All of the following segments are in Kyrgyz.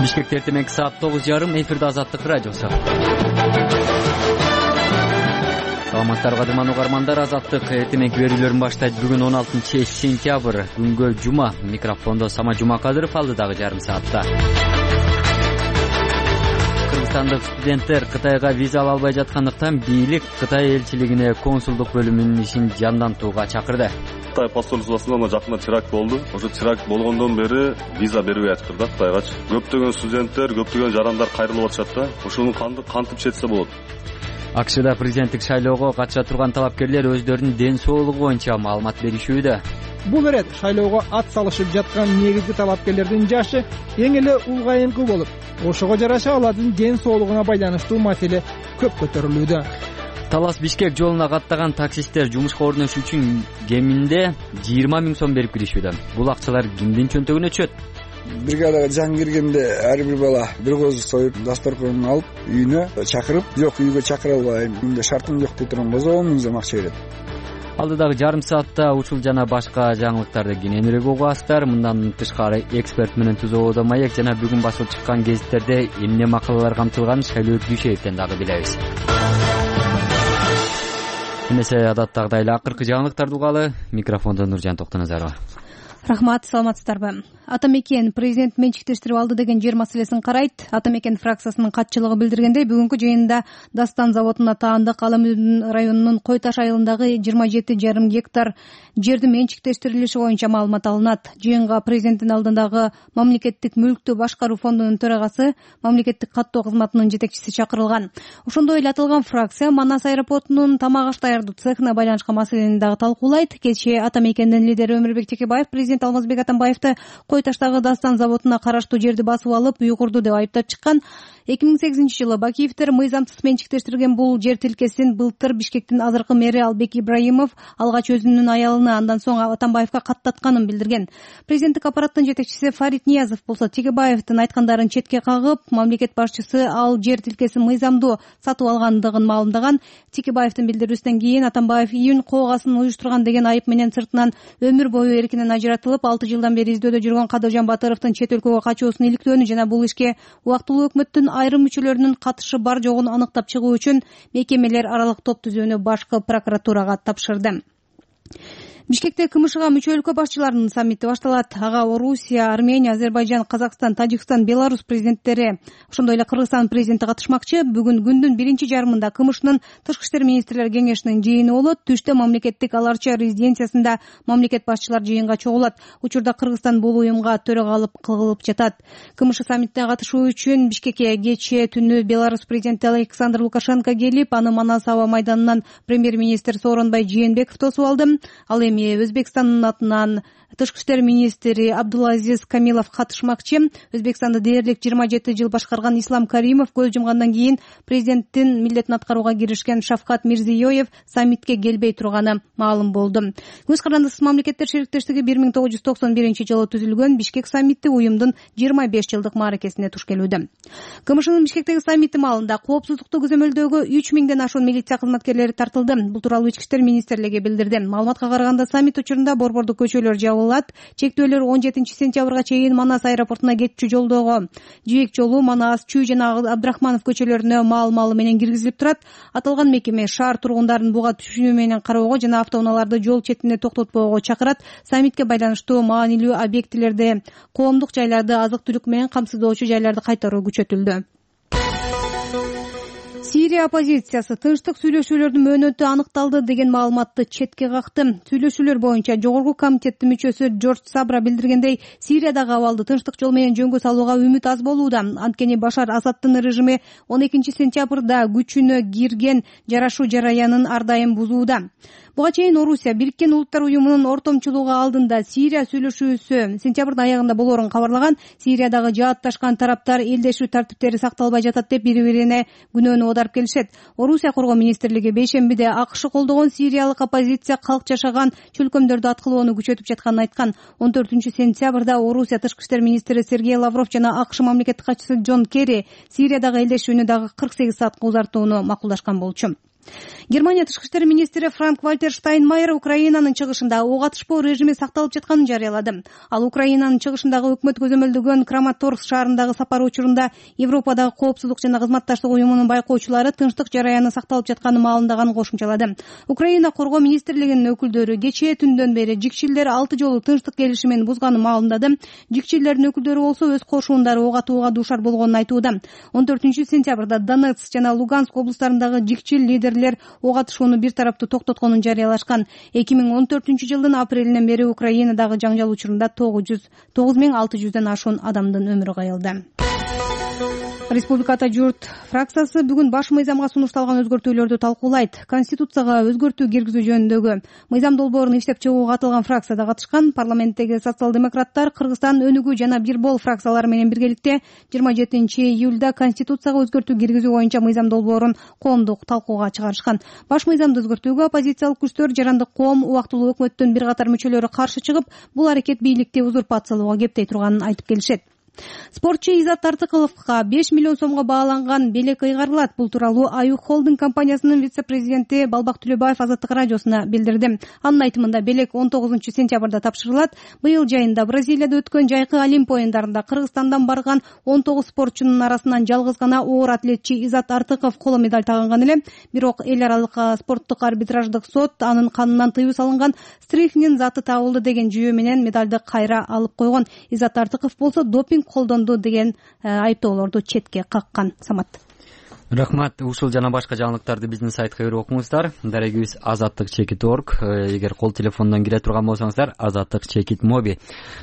Бишкекте эртең саат 9:30 эфирде Азаттык радиосу. Саламаттарга кадырман угармандар, Азаттык эртең берүүлөрүн баштайт. Бүгүн 16 сентябрь, күнгө жума. Микрофондо Сама Жумакадыров, алдыдагы жарым саатта. Кыргызстандык студенттер Кытайга виза ала албай жаткандыктан бийлик Кытай элчилигине консулдук бөлүмүнүн ишин жандантууга чакырды. Кытай посольствосунда жакында теракт болду. Ошо теракт болгондон бери виза бербей атышты да Кытайгачы. Көптөгөн студенттер, көптөгөн жарандар кайрылып атышат да. Ошону кантип четсе болот? АКШда президенттик шайлоого катыша турган талапкерлер өздөрүнүн ден соолугу боюнча маалымат беришүүдө. Бул ирет шайлоого ат салышып жаткан негизги талапкерлердин жашы эң эле улгайыңкы болуп, ошого жараша алардын ден соолугуна байланыштуу маселе көп көтөрүлүүдө. Талас-Бишкек жолуна каттаган таксисттер жумушка орношуу үчүн кеминде 20 000 сом берип киришүүдө. Бул акчалар кимдин чөнтөгүнө түшөт? Бригадага жаңы киргенде ар бир бала бир козу союп, дасторконун алып, үйүнө чакырып, жок үйгө чакыра албайм, менде шартым жок деп турган болсо 10 000 сом акча берет. Алдыдагы жарым саатта ушул жана башка жаңылыктарды кененирээк угасыздар. Мындан тышкары эксперт менен Түзөбодо маек жана бүгүн басылып чыккан гезиттерде эмне макалалар камтылганын Шайлообек Дүйшеевден дагы билебиз. Эмесе адаттагыдай эле акыркы жаңылыктарды угалы. Микрофондо Нуржан Токтоназарова. Рахмат, саламатсыздарбы? Атамекен президент менчиктештирип алды деген жер маселесин карайт. Атамекен фракциясынын катчылыгы билдиргендей, бүгүнкү жыйында Дастан заводуна таандык Ала Мөдүн районунун Кой Таш айылындагы 27,5 гектар жерди менчиктештирилиши боюнча маалымат алынат. Жыйынга президенттин алдындагы мамлекеттик мүлктү башкаруу фондунун төрагасы, мамлекеттик каттоо кызматынын жетекчиси чакырылган. Ошондой эле аталган фракция Манас аэропортунун тамак аш даярдоо цехына байланышкан маселени дагы талкуулайт. Кечээ Атамекендин лидери Өмүрбек Текебаев президент Алмазбек Атамбаевди Кой Таштагы Дастан заводуна караштуу жерди басып алып, уйгурду деп айыптап чыккан. 2008-жылы Бакиевдер мыйзамсыз менчиктештирген бул жер тилкесин былтыр Бишкектин азыркы мэри Албек Ибраимов алгач өзүнүн аялына, андан соң Атамбаевга каттатканын билдирген. Президенттик аппараттын жетекчиси Фарид Ниязов болсо Текебаевдин айткандарын четке кагып, мамлекет башчысы ал жер тилкесин мыйзамдуу сатып алгандыгын маалымдаган. Текебаевдин билдирүүсүнөн кийин Атамбаев июнь коогасын уюштурган деген айып менен сыртынан өмүр бою эркинен ажыратылып, 6 жылдан бери издөөдө жүргөн Кадыржан Батыровдун чет өлкөгө качуусун иликтөөнү жана бул ишке убактылуу өкмөттүн айрым мүчөлөрүнүн катышы бар жогун аныктап чыгуу үчүн мекемелер аралык топ түзүүнү башкы прокуратурага тапшырды. Бишкекте КМШга мүчө өлкө башчыларынын саммити башталат. Ага Орусия, Армения, Азербайжан, Казакстан, Тажикстан, Беларусь президенттери, ошондой эле Кыргызстан президенти катышмакчы. Бүгүн күндүн биринчи жарымында КМШнын Тышкы иштер министрлер кеңешинин жыйыны болот. Түштө мамлекеттик Аларча резиденциясында мамлекет башчылар жыйынга чогулат. Учурда Кыргызстан бул уюмга төрагалык кылып жатат. КМШ саммитине катышуу үчүн Бишкекке кечээ түнү Беларусь президенти Александр Лукашенко келип, аны Манас аба майданынан премьер-министр Сооронбай Жээнбеков тосуп алды. Ал Өзбекстандын атынан Тышкы иштер министри Абдулазиз Камилов катышмакчы. Өзбекстанды дээрлик 27 жыл башкарган Ислам Каримов көз жумгандан кийин президенттин милдетин аткарууга киришкен Шавкат Мирзиёев саммитке келбей турганы маалым болду. Көз карандысыз мамлекеттер шериктештиги 1991 түзүлгөн. Бишкек саммити уюмдун 25 жылдык мааракесине туш келүүдө. КМШнын Бишкектеги саммити маалында коопсуздукту көзөмөлдөөгө 3000ден ашуун милиция кызматкерлери тартылды. Бул тууралуу Ички иштер министрлиги билдирди. Маалыматка караганда саммит учурунда борбордук көчөлөр жабылат. Чектөөлөр 17 сентябрга чейин Манас аэропортуна кетчү жолдогу жээк жолу Манас, Чүй жана Абдрахманов көчөлөрүнө маал-маалы менен киргизилип турат. Аталган мекеме шаар тургундарын буга түшүнүү менен кароого жана автоунааларды жол четинде токтотпоого чакырат. Саммитке байланыштуу маанилүү объектилерди, коомдук жайларды азык-түлүк менен камсыздоочу жайларды кайтаруу күчөтүлдү. Сирия оппозициясы тынчтык сүйлөшүүлөрдүн мөөнөтү аныкталды деген маалыматты четке какты. Сүйлөшүүлөр боюнча жогорку комитеттин мүчөсү Джордж Сабра билдиргендей, Сириядагы абалды тынчтык жол менен жөнгө салууга үмүт аз болууда. Анткени Башар Асаддын режими 12 сентябрда күчүнө кирген жарашуу жараянын ар дайым бузууда. Буга чейин Орусия Бириккен Улуттар уюмунун ортомчулугу алдында Сирия сүйлөшүүсү сентябрдын аягында болоорун кабарлаган. Сириядагы жаатташкан тараптар элдешүү тартиптери сакталбай жатат деп бири-бирине күнөөнү оодарып келишет. Орусия коргоо министрлиги бейшембиде АКШ колдогон сириялык оппозиция калк жашаган чөлкөмдөрдү аткылоону күчөтүп жатканын айткан. 14 сентябрда Орусия тышкы иштер министри Сергей Лавров жана АКШ мамлекеттик катчысы Джон Керри Сириядагы элдешүүнү дагы 48 саатка узартууну макулдашкан болчу. Германия тышкы иштер министри Франк-Вальтер Штайнмайер Украинанын чыгышында ок атышпоо режими сакталып жатканын жарыялады. Ал Украинанын чыгышындагы өкмөт көзөмөлдөгөн Краматорск шаарындагы сапары учурунда Европадагы коопсуздук жана кызматташтык уюмунун байкоочулары тынчтык жараяны сакталып жатканын маалымдаганын кошумчалады. Украина коргоо министрлигинин өкүлдөрү кечээ түндөн бери жикчилдер 6 жолу тынчтык келишимин бузганын маалымдады. Жикчилдердин өкүлдөрү болсо өз кошуундары ок атууга дуушар болгонун айтууда. 14-сентябрда Донецк жана Луганск облустарындагы жикчил лидерлер ок атышууну бир тараптуу токтотконун жарыялашкан. 2014-жылдын апрелинен бери Украинадагы жаңжал учурунда 9600дөн ашуун адамдын өмүрү кайылды. Республикада журт фракциясы бүгүн баш мыйзамга сунушталган өзгөртүүлөрдү талкуулайт. Конституцияга өзгөртүү киргизүү жөнүндөгү мыйзам долбоорун иштеп чыгууга катылган фракцияда катышкан парламенттеги социал-демократтар Кыргызстан өнүгүү жана бир бол фракциялары менен биргеликте 27-июлда Конституцияга өзгөртүү киргизүү боюнча мыйзам долбоорун коомдук талкууга чыгарышкан. Баш мыйзамды өзгөртүүгө оппозициялык күчтөр, жарандык коом, убактылуу өкмөттүн бир катар мүчөлөрү каршы чыгып, бул аракет бийликти узурпациялоого кептей турганын айтып келишет. Спортчу Изат Артыковго 5 миллион сомго бааланган белек ыйгарылат. Бул тууралуу Аюк холдинг компаниясынын вице-президенти Балбак Түлөбаев Азаттык радиосуна билдирди. Анын айтымында белек 19-сентябрда тапшырылат. Быйыл жайында Бразилияда өткөн жайкы Олимп оюндарында Кыргызстандан барган 19 спортчунун арасынан жалгыз гана оор атлетчи Изат Артыков коло медаль тагынган эле. Бирок эл аралык спорттук арбитраждык сот анын канынан тыюу салынган стрихнин заты табылды деген жүйө менен медалды кайра алып койгон. Изат Артыков болсо допинг колдонду деген айыптоолорду четке каккан. Самат. Рахмат. Ушул жана башка жаңылыктарды биздин сайтка кирип окуңуздар. Дарегибиз azattik.org. Эгер кол телефондон кире турган болсоңуздар, azattik.mobi.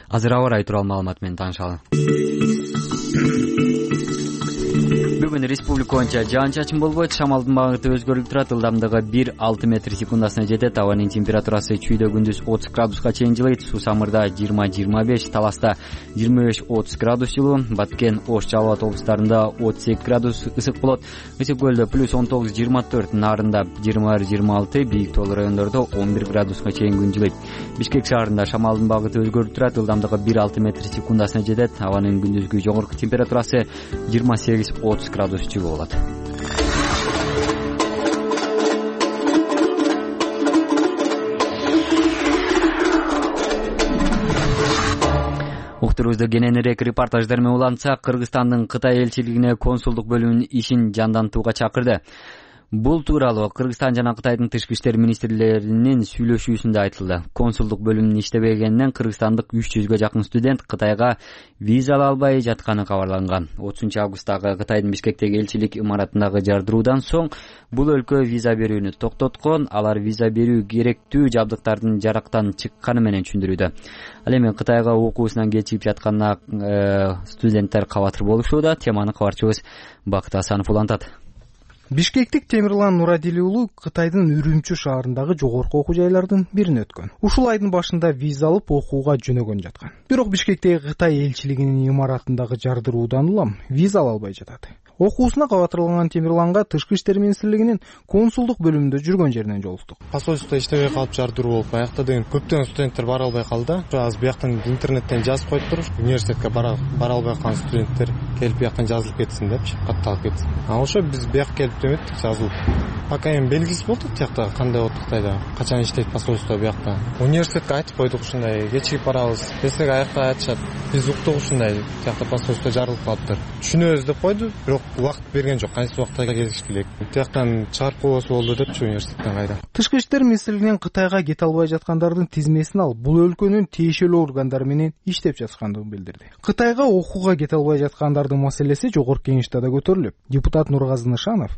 Азыр аба ырайы тууралуу маалымат менен таанышалы. Бүгүн республика боюнча жаан-чачын болбойт, шамалдын багыты өзгөрүп турат, ылдамдыгы 1-6 метр секундасына жетет, абанын температурасы чүйдө күндүз 30 градуска чейин жылыйт, Суу Самырда 20-25, Таласта 25-30 градус жылуу, Баткен, Ош, Жалал Абад облустарында 32 градус ысык болот, Ысык көлдө +19-24, Нарында 20-26, бийик тоолуу райондордо 11 градуска чейин күн жылыйт. Бишкек шаарында шамалдын багыты өзгөрүп турат, ылдамдыгы 1-6 метр секундасына жетет, абанын күндүзгү жогорку температурасы 28-30 градус жылуу болот. Уктурубузду кененирээк репортаждар менен улантсак, Кыргызстандын Кытай элчилигине консулдук бөлүмүнүн ишин жандантууга чакырды. Бул тууралуу Кыргызстан жана Кытайдын тышкы иштер министрлеринин сүйлөшүүсүндө айтылды. Консулдук бөлүмүнүн иштебегенинен кыргызстандык 300гө жакын студент Кытайга виза ала албай жатканы кабарланган. 30-августтагы Кытайдын Бишкектеги элчилик имаратындагы жардыруудан соң бул өлкө виза берүүнү токтоткон. Алар виза берүү керектүү жабдыктардын жарактан чыкканы менен түшүндүрүүдө. Ал эми Кытайга окуусунан кечигип жатканына студенттер кабатыр болушууда. Теманы кабарчыбыз Бакыт Асанов улантат. Бишкектик Темирлан Нурадили уулу Кытайдын Үрүмчү шаарындагы жогорку окуу жайлардын бирине өткөн. Ушул айдын башында виза алып окууга жөнөгөн жаткан. Бирок Бишкектеги Кытай элчилигинин имаратындагы жардыруудан улам виза ала албай жатат. Окуусуна кабатырланган Темирланга тышкы иштер министрлигинин консулдук бөлүмүндө жүргөн жеринен жолуктук. Посольстводо иштебей калып жардыруу болуп, аякта деген көптөгөн студенттер бара албай калды. Азыр бияктан интернеттен жазып коюптур, университетке бара албай калган студенттер келип бияктан жазылып кетсин депчи, катталып кетсин. Ошо биз бияк келип деметтик, жазылып. Пока эми белгисиз болду тиякта кандай болот Кытайда, качан иштейт посольство биякта. Университетке айтып койдук ушундай, кечигип барабыз. Десек аякта айтышат, биз уктук ушундай, тиякта посольство жарылып калыптыр. Түшүнөбүз деп койду, бирок убакыт берген жок, кайсы убакта келиш керек. Тияктан чыгарып койбосо болду депчи университеттен кайда. Тышкы иштер министрлигинин Кытайга кете албай жаткандардын тизмесин алып, бул өлкөнүн тиешелүү органдары менен иштеп жаткандыгын билдирди. Кытайга окууга кете албай жаткандардын маселеси жогорку кеңеште да көтөрүлүп, депутат Нургазы Нышанов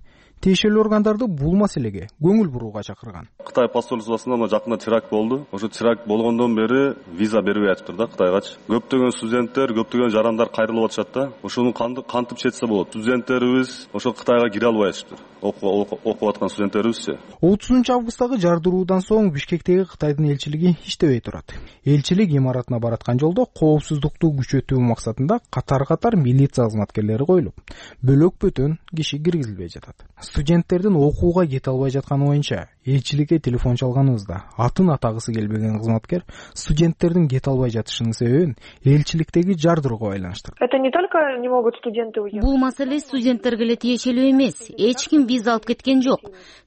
тиешелүү органдарды бул маселеге көңүл бурууга чакырган. Кытай посольствосунда жакында теракт болду. Ошо теракт болгондон бери виза бербей атыптыр да Кытайгачы. Көптөгөн студенттер, көптөгөн жарандар кайрылып атышат да. Ошону кантип четсе болот? Студенттерибиз ошо Кытайга кире албай атыштыр. Окуп аткан студенттерибизчи. 30-августтагы жардыруудан соң Бишкектеги Кытайдын элчилиги иштебей турат. Элчилик имаратына бараткан жолдо коопсуздукту күчөтүү максатында катар-катар милиция кызматкерлери коюлуп, бөлөк бөтөн киши киргизилбей жатат. Студенттердин окууга кете албай жатканы боюнча элчиликке телефон чалганыбызда атын атагысы келбеген кызматкер студенттердин кете албай жатышынын себебин элчиликтеги жардырууга байланыштырды. Это не только не могут студенты уехать. Бул маселе студенттерге эле тиешелүү эмес. Эч ким виза алып кеткен жок.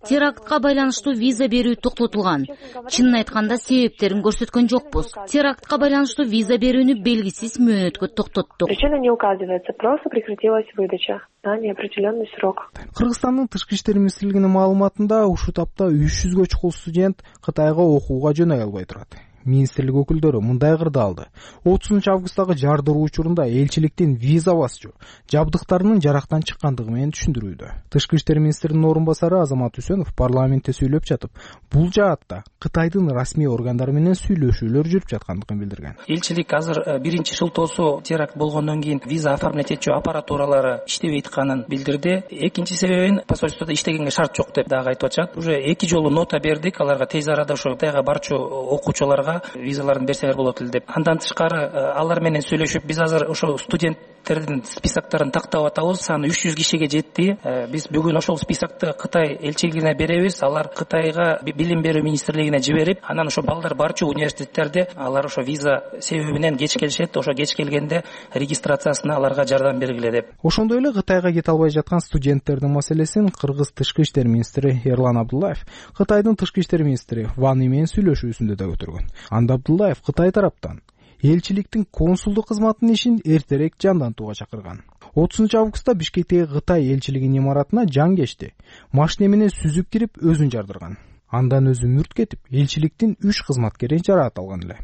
Терактка байланыштуу виза берүү токтотулган. Чынын айтканда себептерин көрсөткөн жокпуз. Терактка байланыштуу виза берүүнү белгисиз мөөнөткө токтоттук. Причина не указывается, просто прекратилась выдача на неопределенный срок. Кыргызстандын тышкы иштер министрлигинин маалыматында ушул тапта 300гө чукул студент Кытайга окууга жөнөй албай турат. Министрлик өкүлдөрү мындай кырды алды. 30-августтагы жардыруу учурунда элчиликтин виза басчу жабдыктарынын жарактан чыккандыгы менен түшүндүрүүдө. Тышкы иштер министринин орун басары Азамат Үсөнов парламентте сүйлөп жатып, бул жаатта Кытайдын расмий органдары менен сүйлөшүүлөр жүрүп жаткандыгын билдирген. Элчилик азыр биринчи шылтоосу теракт болгондон кийин виза оформлять этчү аппаратуралары иштебей атканын билдирди. Экинчи себебин посольстводо иштегенге шарт жок деп дагы айтып атышат. Уже 2 жолу нота бердик, аларга тез арада ошо Кытайга барчу окуучуларга визаларын берсеңер болот эле деп. Андан тышкары алар менен сүйлөшүп, биз азыр ошо студенттердин списоктарын тактап атабыз. Саны 300 кишиге жетти. Биз бүгүн ошол списокты Кытай элчилигине беребиз. Алар Кытайга билим берүү министрлигине жиберип, анан ошо балдар барчу университеттерде алар ошо виза себебинен кеч келишет. Ошо кеч келгенде регистрациясына аларга жардам бергиле деп. Ошондой эле Кытайга кете албай жаткан студенттердин маселесин Кыргыз тышкы иштер министри Эрлан Абдуллаев Кытайдын тышкы иштер министри Ван И менен сүйлөшүүсүндө да көтөргөн. Абдуллаев Кытай тараптан элчиликтин консулдук кызматынын ишин эртерээк жандантууга чакырган. 30-августта Бишкектеги Кытай элчилигинин имаратына жан кечти. Машина менен сүзүп кирип өзүн жардырган. Андан өзү мүрт кетип, элчиликтин 3 кызматкери жараат алган эле.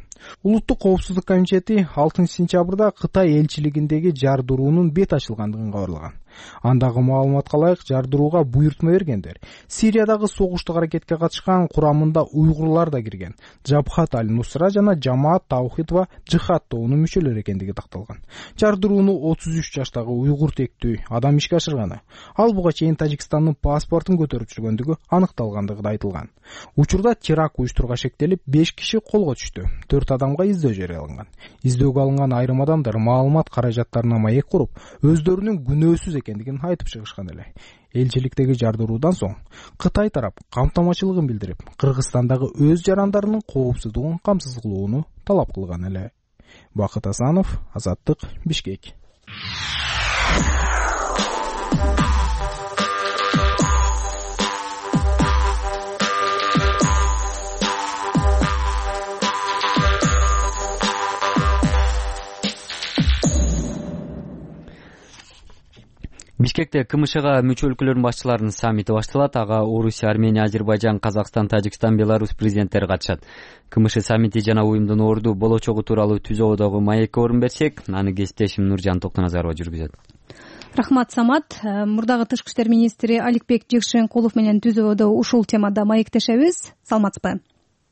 Улуттук коопсуздук комитети 6-сентябрда Кытай элчилигиндеги жардыруунун бет ачылгандыгын кабарлаган. Андагы маалыматка ылайык жардырууга буйртма бергендер Сириядагы согуштук аракетке катышкан курамында уйгурлар да кирген. Жабхат аль-Нусра жана Жамаат Таухид ва Жихад тобунун мүчөлөрү экендиги такталган. Жардырууну 33 жаштагы уйгур тектүү адам ишке ашырганы. Ал буга чейин Тажикстандын паспортун көтөрүп жүргөндүгү аныкталгандыгы да айтылган. Учурда теракт уюштурууга шектелип 5 киши колго түштү. 4 адамга издөө жарыяланган. Издөөгө алынган айрым адамдар маалымат каражаттарына маек куруп, өздөрүнүн күнөөсүз экендигин айтып чыгышкан эле. Элчиликтеги жардыруудан соң Кытай тарап камтамачылыгын билдирип, Кыргызстандагы өз жарандарынын коопсуздугун камсыз кылууну талап кылган эле. Бакыт Асанов, Азаттык, Бишкек. Бишкекте КМШга мүчө өлкөлөрдүн башчыларынын саммити башталат. Ага Орусия, Армения, Азербайжан, Казакстан, Тажикстан, Беларусь президенттери катышат. КМШ саммити жана уюмдун орду болочогу тууралуу түзүүдөгү маекке орун берсек, аны кесиптешим Нуржан Токтоназарова жүргүзөт. Рахмат, Самат. Мурдагы тышкы иштер министри Аликбек Жекшенкулов менен түзүүдө ушул темада маектешебиз. Саламатсызбы?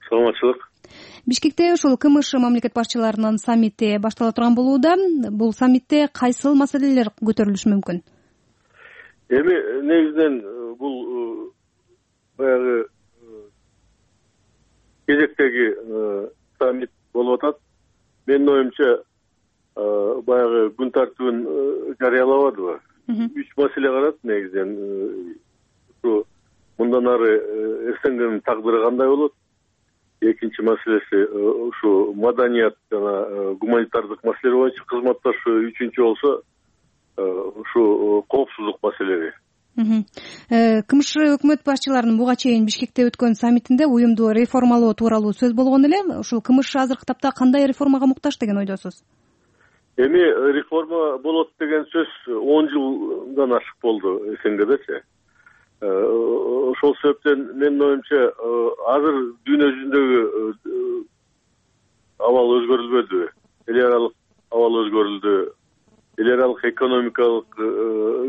Саламатчылык. Бишкекте ушул КМШ мамлекет башчыларынын саммити баштала турган болууда. Бул саммитте кайсыл маселелер көтөрүлүшү мүмкүн? Эми негизинен бул баягы кезектеги саммит болуп атат. Менин оюмча баягы күн тартибин жарыялабадыбы? 3 маселе карат негизинен. Ушу мындан ары СНГнын тагдыры кандай болот? Экинчи маселеси ушу маданият жана гуманитардык маселелер боюнча кызматташуу, үчүнчү болсо ушу коопсуздук маселеси. КМШ өкмөт башчыларынын буга чейин Бишкекте өткөн саммитинде уюмду реформалоо тууралуу сөз болгон эле. Ушул КМШ азыркы тапта кандай реформага муктаж деген ойдосуз? Эми реформа болот деген сөз 10 жылдан ашык болду СНГдечи. Ошол себептен менин оюмча азыр дүйнө жүзүндөгү абал өзгөрүлбөдү. Эл аралык абал өзгөрүлдү. Эл аралык экономикалык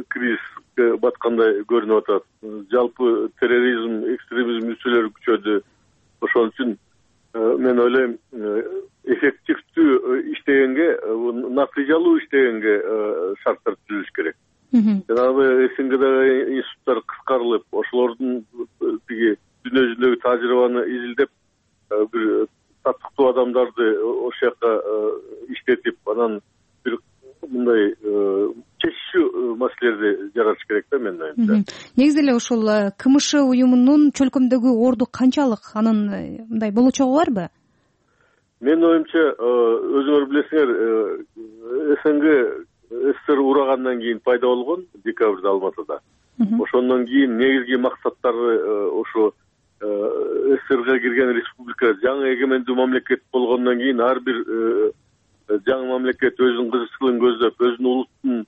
кризиске баткандай көрүнүп атат. Жалпы терроризм, экстремизм үчөлөрү күчөдү. Ошон үчүн мен ойлойм, эффективдүү иштегенге, натыйжалуу иштегенге шарттар түзүлүш керек. Жанагы СНГдагы институттар кыскарылып, ошолордун тиги дүйнө жүзүндөгү тажрыйбаны изилдеп, бир татыктуу адамдарды ошол жака иштетип, анан бир мындай чечишүү маселелерди мамлекеттерди жаратыш керек да менин оюмча. Негизи эле ушул КМШ уюмунун чөлкөмдөгү орду канчалык, анын мындай болочогу барбы? Менин оюмча өзүңөр билесиңер, СНГ СССР урагандан кийин пайда болгон декабрда Алматыда. Ошондон кийин негизги максаттары ошо СССРга кирген республика жаңы эгемендүү мамлекет болгондон кийин ар бир жаңы мамлекет өзүнүн кызыкчылыгын көздөп, өзүнүн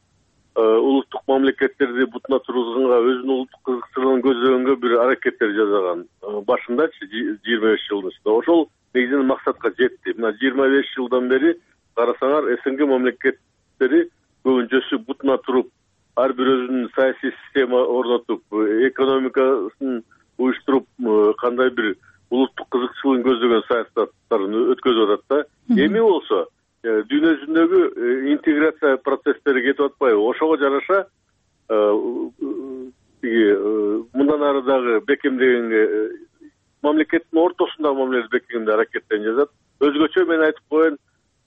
улуттук мамлекеттерди бутуна тургузганга, өзүнүн улуттук кызыкчылыгын көздөгөнгө бир аракеттер жасаган. Башындачы 25 жылдын ичинде ошол негизинен максатка жетти. Мына 25 жылдан бери карасаңар, СНГ мамлекеттери көбүнчөсү бутуна туруп, ар бир өзүнүн саясий система орнотуп, экономикасын уюштуруп, кандай бир улуттук кызыкчылыгын көздөгөн саясаттарын өткөзүп атат да. Эми болсо дүйнө жүзүндөгү интеграция процесстери кетип атпайбы? Ошого жараша мындан ары дагы бекемдегенге, мамлекеттин ортосундагы мамиледи бекемдегенге аракеттенip жатат. Өзгөчө мен айтып коеюн,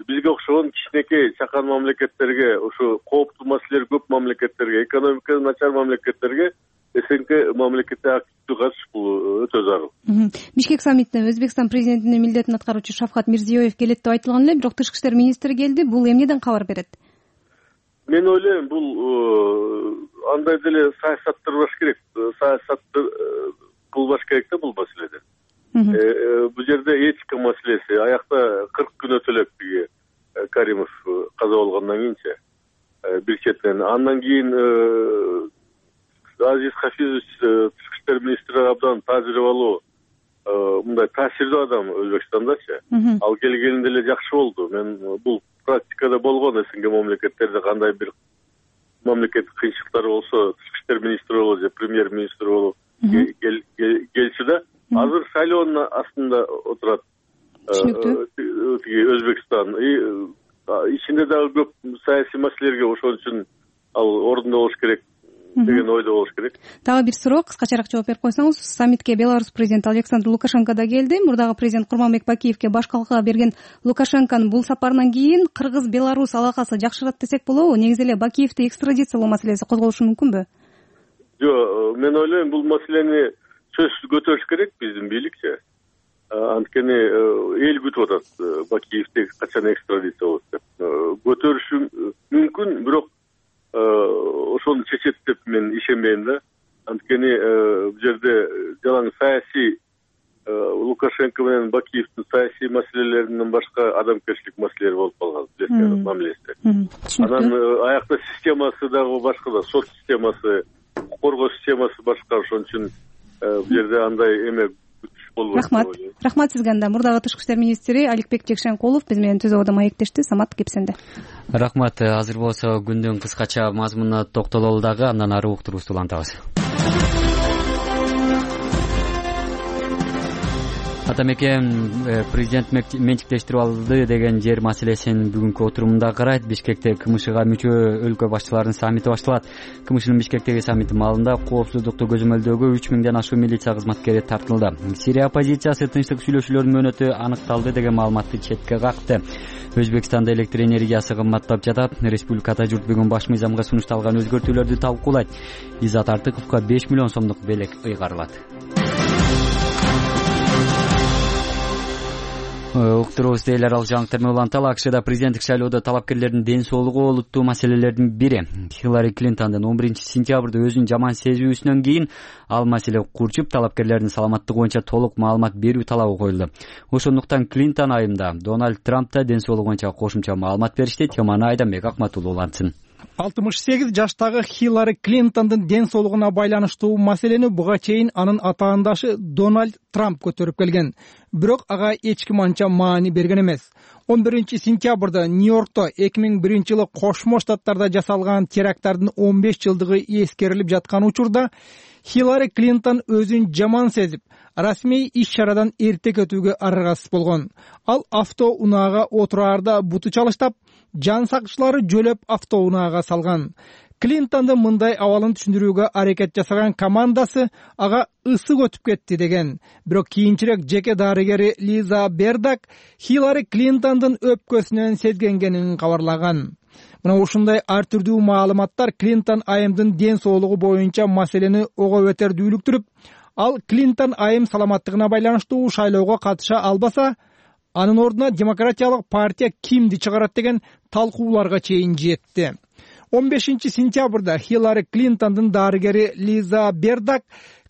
бизге окшогон кичинекей чакан мамлекеттерге, ушу кооптуу маселелери көп мамлекеттерге, экономикасы начар мамлекеттерге СНГ мамлекети активдүү катышыш бул өтө зарыл. Бишкек саммитине Өзбекстан президентинин милдетин аткаруучу Шавкат Мирзиёев келет деп айтылган эле, бирок тышкы иштер министри келди. Бул эмнеден кабар берет? Мен ойлойм, бул андай деле саясаттырбаш керек, саясатты кылбаш керек да бул маселеде. Бул жерде этика маселеси, аякта 40 күн өтө элек биги Каримов каза болгондон кийинчи бир четинен. Андан кийин Азиз Хафизович тышкы иштер министри абдан тажрыйбалуу, мындай таасирдүү адам Өзбекстандачы. Ал келгенинде эле жакшы болду. Мен бул практикада болгон СНГ мамлекеттерде кандай бир мамлекеттик кыйынчылыктар болсо, тышкы иштер министри болобу же премьер-министр болуп келчү да. Азыр шайлоонун астында отурат Өзбекстан. Ичинде дагы көп саясий маселелерге ошон үчүн ал ордунда болуш керек деген ойдо болуш керек. Дагы бир суроо, кыскачараак жооп берип койсоңуз. Саммитке Беларусь президенти Александр Лукашенко да келди. Мурдагы президент Курманбек Бакиевке баш калка берген Лукашенконун бул сапарынан кийин Кыргыз-Беларусь алакасы жакшырат десек болобу? Негизи эле Бакиевди экстрадициялоо маселеси козголушу мүмкүнбү? Жок, мен ойлойм, бул маселени сөзсүз көтөрүш керек биздин бийликчи. Анткени эл күтүп атат Бакиевди качан экстрадиция болот деп. Көтөрүшү мүмкүн, бирок ошону чечет деп мен ишенбейм да. Анткени бул жерде жалаң саясий Лукашенко менен Бакиевдин саясий маселелеринен башка адамгерчилик маселелери болуп калган, билесиңер, мамилеси. Анан аякта системасы дагы башка да, сот системасы, укук коргоо системасы башка, ошон үчүн бул жерде андай эме күтүш болбойт. Рахмат сизге. Анда мурдагы тышкы иштер министри Аликбек Жекшенкулов биз менен түз абада маектешти. Самат кепсенде. Рахмат. Азыр болсо күндүн кыскача мазмунуна токтололу дагы, андан ары уктурубузду улантабыз. Атамекен президент менчиктештирип алды деген жер маселесин бүгүнкү отурумунда карайт. Бишкекте КМШга мүчө өлкө башчыларынын саммити башталат. КМШнын Бишкектеги саммити маалында коопсуздукту көзөмөлдөөгө 3000ден ашуун милиция кызматкери тартылды. Сирия оппозициясы тынчтык сүйлөшүүлөрдүн мөөнөтү аныкталды деген маалыматты четке какты. Өзбекстанда электр энергиясы кымбаттап жатат. Республикада журт бүгүн баш мыйзамга сунушталган өзгөртүүлөрдү талкуулайт. Изат Артыковго 5 миллион сомдук белек ыйгарылат. Уктурубузду эл аралык жаңылыктар менен уланталы. АКШда президенттик шайлоодо талапкерлердин ден соолугу олуттуу маселелердин бири. Хиллари Клинтондун 11 сентябрда өзүн жаман сезүүсүнөн кийин ал маселе курчуп, талапкерлердин саламаттыгы боюнча толук маалымат берүү талабы коюлду. Ошондуктан Клинтон айымда Дональд Трампта ден соолугу боюнча кошумча маалымат беришти. Теманы Айданбек Акматуллу улантсын. 68 жаштагы Хиллари Клинтондун ден соолугуна байланыштуу маселени буга чейин анын атаандашы Дональд Трамп көтөрүп келген. Бирок ага эч ким анча маани берген эмес. 11 сентябрда Нью-Йоркто 2001 жылы Кошмо Штаттарда жасалган теракттардын 15 жылдыгы эскерилип жаткан учурда Хиллари Клинтон өзүн жаман сезип, расмий иш-чарадан эрте кетүүгө аргасыз болгон. Ал автоунаага отураарда буту чалыштап, жан сакчылары жөлөп автоунаага салган. Клинтондун мындай абалын түшүндүрүүгө аракет жасаган командасы ага ысык өтүп кетти деген. Бирок кийинчерээк жеке дарыгери Лиза Бердак Хиллари Клинтондун өпкөсүнөн сезгенгенин кабарлаган. Мына ушундай ар түрдүү маалыматтар Клинтон айымдын ден соолугу боюнча маселени ого бетер дүүлүктүрүп, ал Клинтон айым саламаттыгына байланыштуу шайлоого катыша албаса, анын ордуна демократиялык партия кимди чыгарат деген талкууларга чейин жетти. 15-сентябрда Хиллари Клинтондун дарыгери Лиза Бердак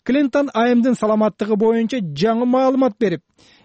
Клинтон айымдын саламаттыгы боюнча жаңы маалымат берип,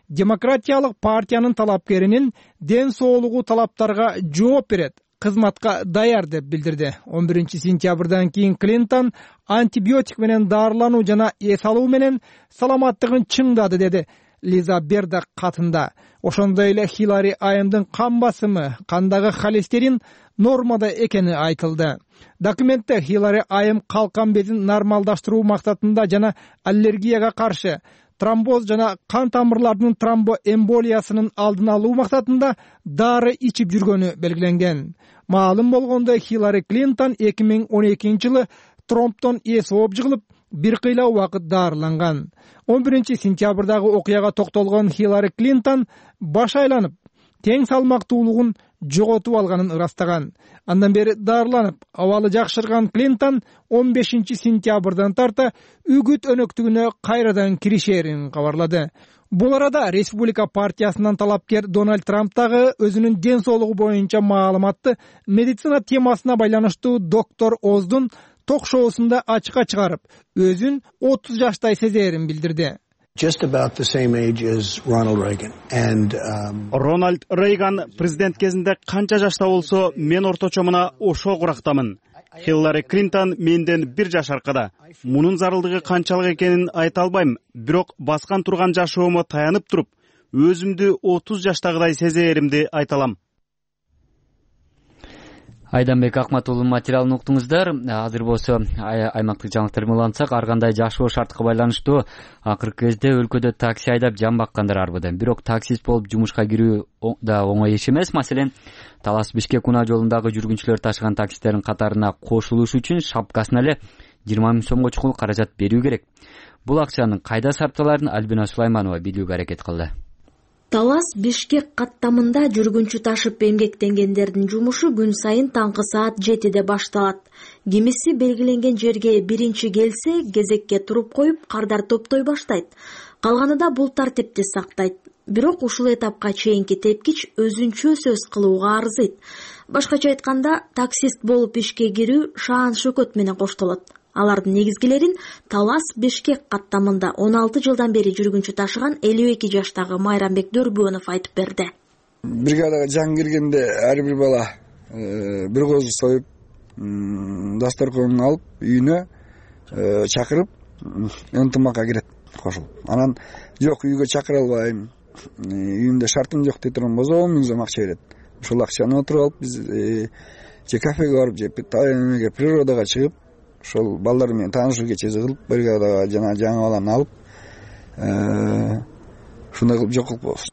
демократиялык партиянын талапкеринин ден соолугу талаптарга жооп берет, кызматка даяр деп билдирди. 11-сентябрдан кийин Клинтон антибиотик менен дарылануу жана эс алуу менен саламаттыгын чыңдады, деди Лиза Бердак катында. Ошондой эле Хиллари айымдын кан басымы, кандагы холестерин нормада экени айтылды. Документте Хиллари айым калкан безин нормалдаштыруу максатында жана аллергияга каршы, тромбоз жана кан тамырлардын тромбоэмболиясынын алдын алуу максатында дары ичип жүргөнү белгиленген. Маалым болгондой, Хиллари Клинтон 2012-жылы тромбтон эс ооп жыгылып, бир кыйла убакыт дарыланган. 11-сентябрдагы окуяга токтолгон Хиллари Клинтон баш айланып, тең салмактуулугун жоготуп алганын ырастаган. Андан бери дарыланып, абалы жакшырган Клинтон 15-сентябрдан тарта үгүт өнөктүгүнө кайрадан киришерин кабарлады. Бул арада Республика партиясынан талапкер Дональд Трамп дагы өзүнүн ден соолугу боюнча маалыматты медицина темасына байланыштуу доктор Оздун ток-шоусунда ачыкка чыгарып, өзүн 30 жаштай сезерин билдирди. Рональд Рейган президент кезинде канча жашта болсо, мен орточо мына ошол курактамын. Хиллари Клинтон менден 1 жаш аркада. Мунун зарылдыгы канчалык экенин айта албайм, бирок баскан турган жашоомо таянып туруп, өзүмдү 30 жаштагыдай сезеримди айта алам. Айданбек Акматулунун материалын уктуңуздар. Азыр болсо аймактык жаңылыктарды улантсак, ар кандай жашоо шартка байланыштуу акыркы кезде өлкөдө такси айдап жан баккандар арбыда. Бирок таксист болуп жумушка кирүү да оңой иш эмес. Маселен, Талас Бишкек унаа жолундагы жүргүнчүлөр ташыган таксистердин катарына кошулуш үчүн шапкасына эле 20 000 сомго чукул каражат берүү керек. Бул акчанын кайда сарпталарын Альбина Сулайманова билүүгө аракет кылды. Талас Бишкек каттамында жүргүнчү ташып эмгектенгендердин жумушу күн сайын таңкы саат 7-де башталат. Кимиси белгиленген жерге биринчи келсе, кезекке туруп коюп, кардар топтой баштайт. Калганы да бул тартипти сактайт. Бирок ушул этапка чейинки тепкич өзүнчө сөз кылууга арзыйт. Башкача айтканда, таксист болуп ишке кирүү шаан шөкөт менен коштолот. Алардын негизгилерин Талас Бишкек каттамында 16 жылдан бери жүргүнчү ташыган 52 жаштагы Майрамбек Дөрбөнов айтып берди. Бригадага жаңы киргенде ар бир бала бир козу союп, дасторконун алып, үйүнө чакырып, ынтымакка кирет кошулуп. Анан жок, үйгө чакыра албайм, үйүмдө шартым жок дей турган болсо 10 000 сом акча берет. Ошол акчаны отуруп алып, биз же кафеге барып, же природага чыгып, ошол балдар менен таанышуу кечеси кылып, бригадага жана жаңы баланы алып, ушундай кылып жок кылып коебуз.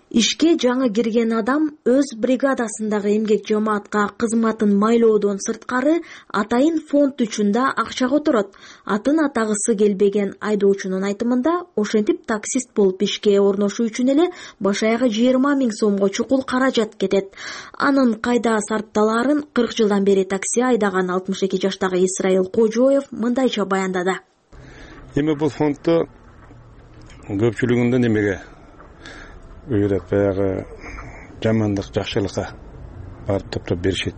Ишке жаңы кирген адам өз бригадасындагы эмгек жамаатка кызматын майлоодон сырткары атайын фонд үчүн да акча которот. Атын атагысы келбеген айдоочунун айтымында, ошентип таксист болуп ишке орношуу үчүн эле баш аягы 20 000 сомго чукул каражат кетет. Анын кайда сарпталаарын 40 жылдан бери такси айдаган 62 жаштагы Исраил Кожоев мындайча баяндады. Эми бул фондду көпчүлүгүндө немеге үйрөп, баягы жамандык, жакшылыкка барып топтоп беришет.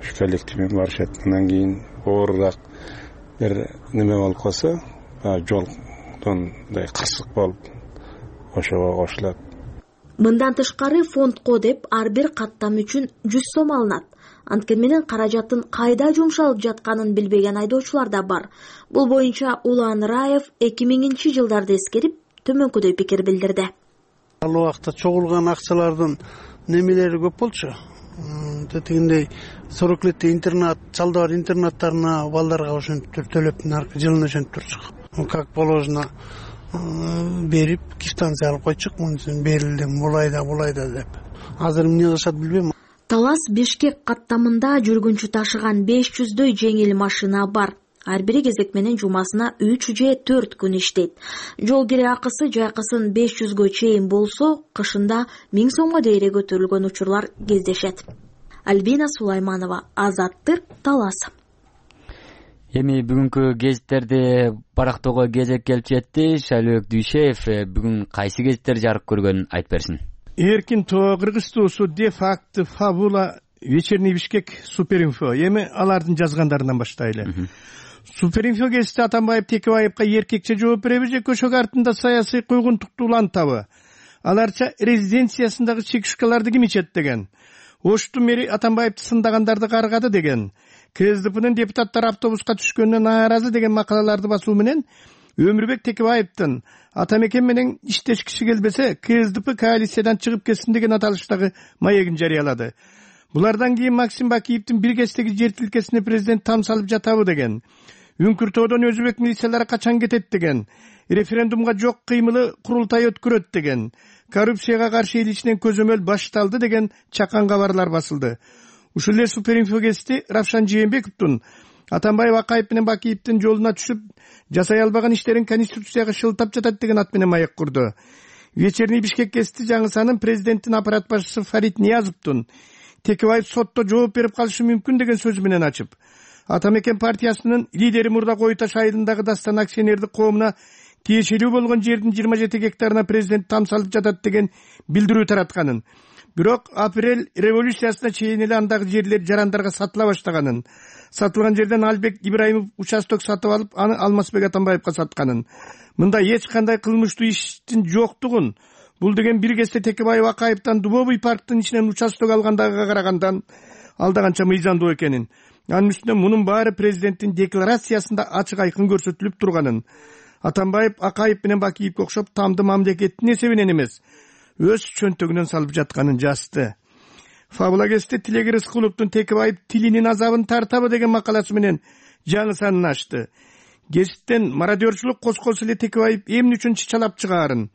Ушу коллективмен барышат. Андан кийин оорураак бир неме болуп калса, жолдон кырсык болуп, ошого кошулат. Мындан тышкары фондко деп ар бир каттам үчүн 100 сом алынат. Анткени менен каражаттын кайда жумшалып жатканын билбеген айдоочулар да бар. Бул боюнча Улан Раев 2000-жылдарды эскерип, төмөнкүдөй пикир билдирди. Ал убакта чогулган акчалардын немелери көп болчу. Тетигиндей 40 летте интернат, чалдар интернаттарына балдарга ошентип төлөп, жылына ошентип турчук. Как положено берип, квитанция алып койчук, мунун берилди, булайда деп. Азыр эмне кылышат билбейм. Талас Бишкек каттамында жүргүнчү ташыган 500дөй жеңил машина бар. Ар бири кезек менен жумасына 3 же 4 күн иштейт. Жол кире акысы жайкысын 500гө чейин болсо, кышында 1000 сомго дейре көтөрүлгөн учурлар кездешет. Альбина Сулайманова, Азаттык, Талас. Эми бүгүнкү гезиттерди барактоого кезек келип жетти. Шайлообек Дүйшеев бүгүн кайсы гезиттер жарык көргөнүн айтып берсин. Эркин Тоо, Кыргыз Туусу, Де факт, Фабула, Вечерний Бишкек, Суперинфо. Эми алардын жазгандарынан баштайлы. Суперинфо гезити Атамбаев Текебаевка эркекче жооп береби же көшөгө артында саясий куйгунтукту улантабы? Аларча резиденциясындагы чекишкаларды ким ичет деген. Оштун мэри Атамбаевди сындагандарды каргады деген. КСДПнын депутаттары автобуска түшкөнүнө нааразы деген макалаларды басуу менен Өмүрбек Текебаевдин Атамекен менен иштешкиси келбесе КСДП коалициядан чыгып кетсин деген аталыштагы маегин жарыялады. Булардан кийин Максим Бакиевдин бир кездеги жер тилкесине президент там салып жатабы деген. Үңкүртөдөн өзбек милициялары качан кетет деген. Референдумга жок кыймылы курултай өткөрөт деген. Коррупцияга каршы эл ичинен көзөмөл башталды деген чакан кабарлар басылды. Ушул эле Суперинфо гезити Равшан Жээнбековдун Атамбаев Акаев менен Бакиевдин жолуна түшүп жасай албаган иштерин конституцияга шылтап жатат деген ат менен маек курду. Вечерний Бишкек гезити жаңысанын президенттин аппарат башчысы Фарид Ниязовдун Текебаев сотто жооп берип калышы мүмкүн деген сөзү менен ачып, Атамекен партиясынын лидери Мурда Койташ айылындагы Дастан акционердик коомуна тиешелүү болгон жердин 27 гектарына президент там салып жатат деген билдирүү таратканын. Бирок апрель революциясына чейин эле андагы жерлер жарандарга сатыла баштаганын, сатылган жерден Албек Ибраимов участок сатып алып, аны Алмазбек Атамбаевка сатканын. Мында эч кандай кылмыштуу иштин жоктугун, бул деген бир кезде Текебаев Акаевден Дубовый парктын ичинен участок алгандага карагандан алдаганча мыйзамдуу экенин. Анын үстүнө мунун баары президенттин декларациясында ачык айкын көрсөтүлүп турганын. Атамбаев Акаев менен Бакиевге окшоп тамды мамлекеттин эсебинен эмес, өз чөнтөгүнөн салып жатканын жазды. Фабула гезити Тилеги Рыскуловдун Текебаев тилинин азабын тартабы деген макаласы менен жаңы санын ачты. Гезиттен мародерчулук козколсо эле Текебаев эмне үчүн чычалап чыгаарын,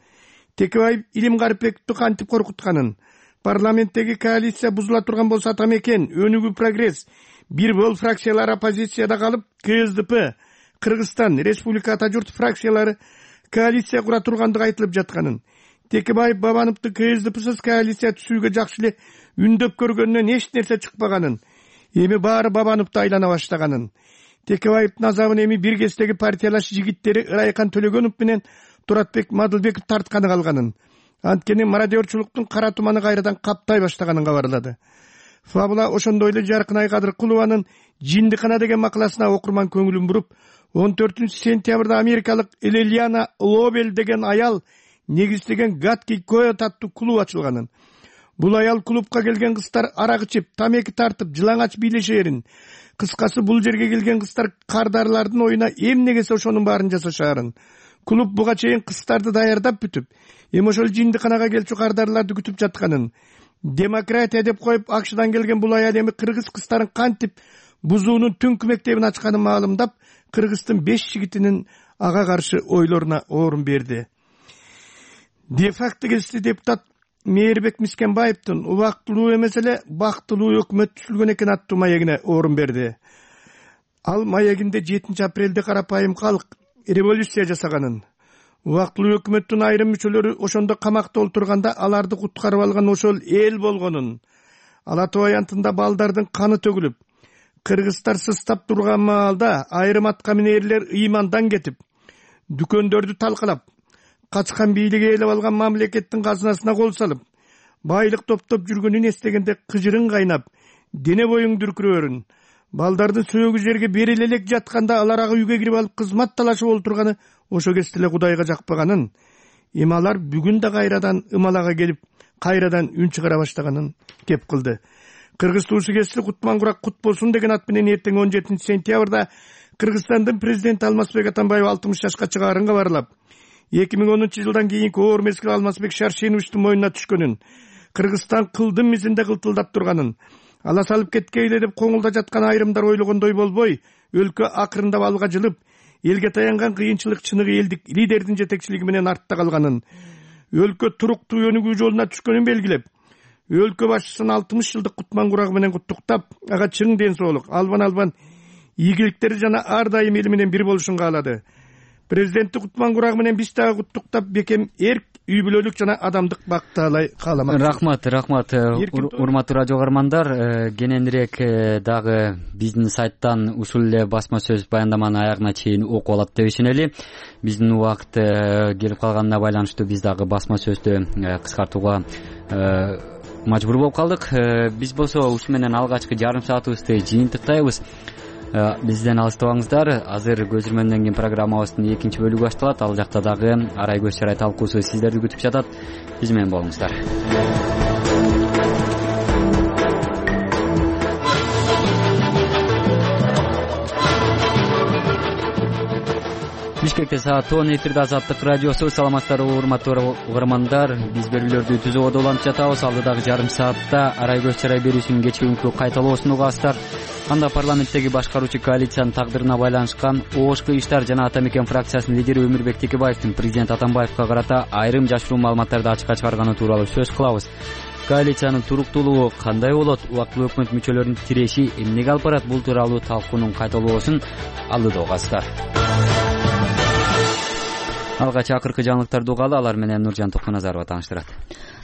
Текебаев Илим Карипбековду кантип коркутканын, парламенттеги коалиция бузула турган болсо Атамекен, Өнүгүү Прогресс, бир бол фракциялар оппозицияда калып, КСДП, Кыргызстан Республика Ата журт фракциялары коалиция кура тургандыгы айтылып жатканын, Текебаев Бабановду КСДПсыз коалиция түзүүгө жакшы эле үндөп көргөнүнөн эч нерсе чыкпаганын, эми баары Бабановду айлана баштаганын, Текебаевдин азабын эми бир кездеги партиялаш жигиттери Ырайкан Төлөгөнов менен Туратбек Мадылбеков тартканы калганын, анткени мародерчулуктун кара туманы кайрадан каптай баштаганын кабарлады. Фабула ошондой эле Жаркынай Кадыркулованын Жиндикана деген макаласына окурман көңүлүн буруп, 14-сентябрда америкалык Элелиана Лобель деген аял негиздеген Гатки Коят аттуу клуб ачылганын. Бул аял клубка келген кыздар арак ичип, тамеки тартып, жылаңач бийлешээрин. Кыскасы бул жерге келген кыздар кардарлардын оюна эмне келсе ошонун баарын жасашаарын. Клуб буга чейин кыздарды даярдап бүтүп, эми ошол Жиндиканага келчү кардарларды күтүп жатканын. Демократия деп коюп Акшдан келген бул аял эми кыргыз кыздарын кантип бузуунун түнкү мектебин ачканын маалымдап, Кыргыздын 5 жигитинин ага каршы ойлоруна орун берди. Де факт гезити депутат Мээрбек Мискенбаевдин убактылуу эмес эле бактылуу өкмөт түзүлгөн экен аттуу маегине орун берди. Ал маегинде 7 апрелде карапайым калк революция жасаганын, убактылуу өкмөттүн айрым мүчөлөрү ошондо камакта олтурганда аларды куткарып алган ошол эл болгонун, Ала Тоо аянтында балдардын каны төгүлүп, кыргыздар сыстап турган маалда айрым аткаминерлер ыймандан кетип, дүкөндөрдү талкалап, качкан бийлиги ээлеп алган мамлекеттин казынасына кол салып, байлык топтоп жүргөнүн эстегенде кыжырың кайнап, дене боюң дүркүрөөрүн, балдардын сөөгү жерге бериле элек жатканда алар үйгө кирип алып кызмат талашып олтурганы ошо кезде эле Кудайга жакпаганын, эми алар бүгүн да кайрадан ымалага келип, кайрадан үн чыгара баштаганын кеп кылды. Кыргыз туусу кести Кутман Курак кут болсун деген ат менен эртең 17 сентябрда Кыргызстандын президенти Алмазбек Атамбаев 60 жашка чыгаарын кабарлап, 2010 жылдан кийинки оор мезгил Алмазбек Шаршеновичтин мойнуна түшкөнүн, Кыргызстан кылдым мизинде кылтылдап турганын, ала салып кеткейле деп коңулда жаткан айрымдар ойлогондой болбой, өлкө акырындап алга жылып, элге таянган кыйынчылык чыныгы элдик лидердин жетекчилиги менен артта калганын, өлкө туруктуу өнүгүү жолуна түшкөнүн белгилеп, өлкө башчысын 60 жылдык Кутман Курагы менен куттуктап, ага чың ден соолук, албан игиликтери жана ар дайым эл менен бир болушун каалады. президенттик кутман курагы менен биз дагы куттуктап бекем эрк, үй бүлөлүк жана адамдык бакталай кааламак. Рахмат урматтуу радио каармандар, кененирээк дагы биздин сайттан ушул эле басма сөз баяндаманы аягына чейин окуп алат деп ишенели. Биздин убакыт келип калганына байланыштуу биз дагы басма сөздү кыскартууга мажбур болуп калдык. Биз болсо ушу менен алгачкы жарым саатыбызды жыйынтыктайбыз. Бизден алыстабаңыздар. Азыр көзүрмөндөн кийин программабыздын экинчи бөлүгү башталат. Ал жакта дагы арай көз чарай талкуусу сиздерди күтүп жатат. Биз менен болуңуздар. Бишкекте саат 10 эфирде Азаттык радиосу. Саламатсыздарбы урматтуу угармандар. Биз берүүлөрдү түзүүгө улантып жатабыз. Алдыдагы жарым саатта арай көз чарай берүүсүнүн кечки күнкү кайталоосун угасыздар. Анда парламенттеги башкаруучу коалициянын тагдырына байланышкан ОШК иштар жана Ата Мекен фракциясынын лидери Өмүрбек Текебаевдин президент Атамбаевка карата айрым жашыруу маалыматтарды ачыкка чыгарганы тууралуу сөз кылабыз. Коалициянын туруктуулугу кандай болот? Убактылуу өкмөт мүчөлөрүнүн тиреши эмнеге алып барат? Бул тууралуу талкуунун кайталоосун алдыда угасыздар. Алгач акыркы жаңылыктарды угалы, алар менен Нуржан Токмоназарова тааныштырат.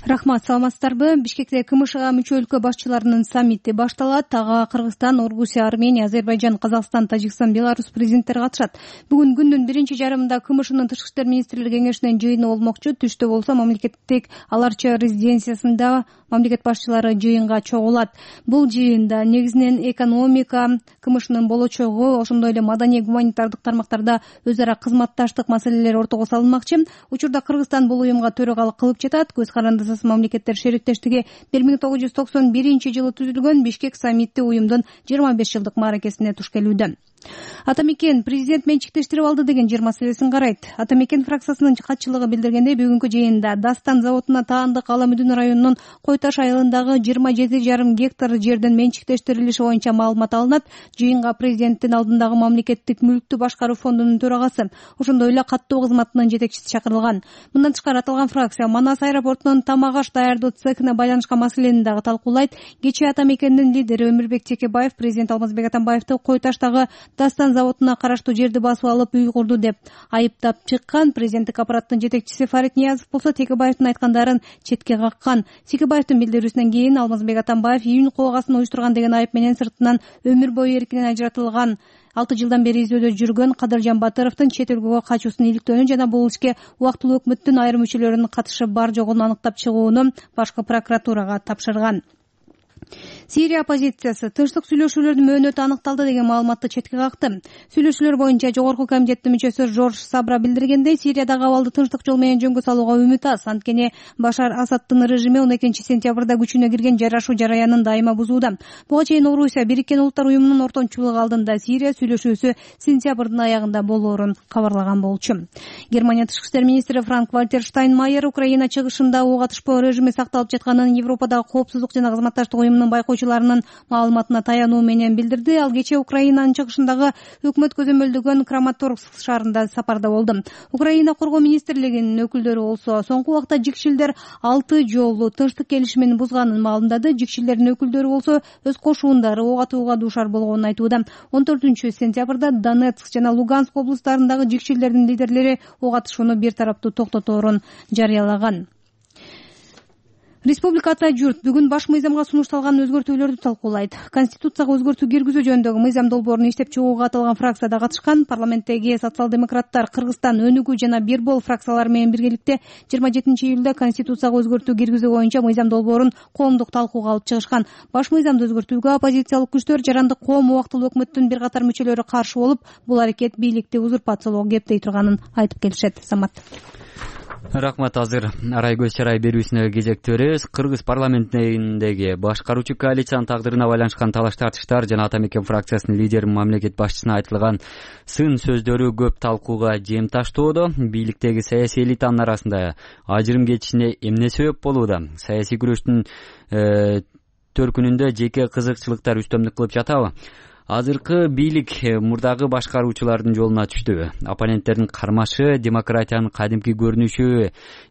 Рахмат, саламатсыздарбы? Бишкекте КМШга мүчө өлкө башчыларынын саммити башталат. Ага Кыргызстан, Орусия, Армения, Азербайжан, Казакстан, Тажикстан, Беларусь президенттери катышат. Бүгүн күндүн биринчи жарымында КМШнын тышкы иштер министрлери кеңешинин жыйыны болмокчу. Түштө болсо мамлекеттик аларча резиденциясында мамлекет башчылары жыйынга чогулат. Бул жыйында негизинен экономика, КМШнын болочогу, ошондой эле маданий гуманитардык тармактарда өз ара кызматташтык маселелери ортого салынмакчы. Учурда Кыргызстан бул уюмга төрагалык кылып жатат. Көз карандысыз мамлекеттер шериктештиги 1991-жылы түзүлгөн. Бишкек саммити уюмдун 25 жылдык мааракесине туш келүүдө. Ата Мекен президент менчиктештирип алды деген жер маселесин карайт. Ата Мекен фракциясынын катчылыгы билдиргендей, бүгүнкү жыйында Дастан заводуна таандык Ала Мүдүн районунун Койташ айылындагы 27,5 гектар жердин менчиктештирилиши боюнча маалымат алынат. Жыйынга президенттин алдындагы мамлекеттик мүлктү башкаруу фондунун төрагасы, ошондой эле каттоо кызматынын жетекчиси чакырылган. Мындан тышкары аталган фракция Манас аэропортунун тамак аш даярдоо цехине байланышкан маселени дагы талкуулайт. Кечээ Ата Мекендин лидери Өмүрбек Текебаев президент Алмазбек Атамбаевди Койташтагы Дастан заводуна караштуу жерди басып алып үй курду деп айыптап чыккан. Президенттик аппараттын жетекчиси Фарид Ниязов болсо Текебаевдин айткандарын четке каккан. Текебаевдин билдирүүсүнөн кийин Алмазбек Атамбаев июнь коогасын уюштурган деген айып менен сыртынан өмүр бою эркинен ажыратылган 6 жылдан бери изөөдө жүргөн Кадыржан Батыровдун чет өлкөгө качуусун иликтөөнү жана бул ишке убактылуу өкмөттүн айрым мүчөлөрүнүн катышы бар жогун аныктап чыгууну башкы прокуратурага тапшырган. Сирия оппозициясы тынчтык сүйлөшүүлөрдүн мөөнөтү аныкталды деген маалыматты четке какты. Сүйлөшүүлөр боюнча жогорку комитеттин мүчөсү Жорж Сабра билдиргендей, Сириядагы абалды тынчтык жол менен жөнгө салууга үмүт аз. Анткени Башар Асаддын режими 12-сентябрда күчүнө кирген жарашуу жараянын дайыма бузууда. Буга чейин Орусия Бириккен Улуттар уюмунун ортомчулугу алдында Сирия сүйлөшүүсү сентябрдын аягында болоорун кабарлаган болчу. Германия тышкы иштер министри Франк Вальтер Штайнмайер Украина чыгышында ок атышпоо режими сакталып жатканын Европадагы коопсуздук жана кызматташтык уюмунун байкоочуларынын маалыматына таянуу менен билдирди. Ал кечээ Украинанын чыгышындагы өкмөт көзөмөлдөгөн Краматорск шаарында сапарда болду. Украина коргоо министрлигинин өкүлдөрү болсо соңку убакта жикшилдер 6 жолу тынчтык келишимин бузганын маалымдады. Жикшилдердин өкүлдөрү болсо өз кошуундары ок атууга дуушар болгонун айтууда. 14-сентябрда Донецк жана Луганск облустарындагы жикшилдердин лидерлери ок атышууну бир тараптуу токтоторун жарыялаган. Республика Ата журт бүгүн баш мыйзамга сунушталган өзгөртүүлөрдү талкуулайт. Конституцияга өзгөртүү киргизүү жөнүндөгү мыйзам долбоорун иштеп чыгууга аталган фракцияда катышкан. Парламенттеги социал-демократтар, Кыргызстан, Өнүгүү жана Бирбол фракциялары менен биргеликте 27-июлда Конституцияга өзгөртүү киргизүү боюнча мыйзам долбоорун коомдук талкууга алып чыгышкан. Баш мыйзамды өзгөртүүгө оппозициялык күчтөр, жарандык коом, убактылуу өкмөттүн бир катар мүчөлөрү каршы болуп, бул аракет бийликти узурпациялоого кептей турганын айтып келишет. Самат. Рахмат. Азыр арай көз чарай берүүсүнө кезекти беребиз. Кыргыз парламентиндеги башкаруучу коалициянын тагдырына байланышкан талаш тартыштар жана Ата Мекен фракциясынын лидери мамлекет башчысына айтылган сын сөздөрү көп талкууга жем таштоодо. Бийликтеги саясий элитанын арасында ажырым кетишине эмне себеп болууда? Саясий күрөштүн төркүнүндө жеке кызыкчылыктар үстөмдүк кылып жатабы? Азыркы бийлик мурдагы башкаруучулардын жолуна түштүбү? Оппоненттердин кармашы демократиянын кадимки көрүнүшү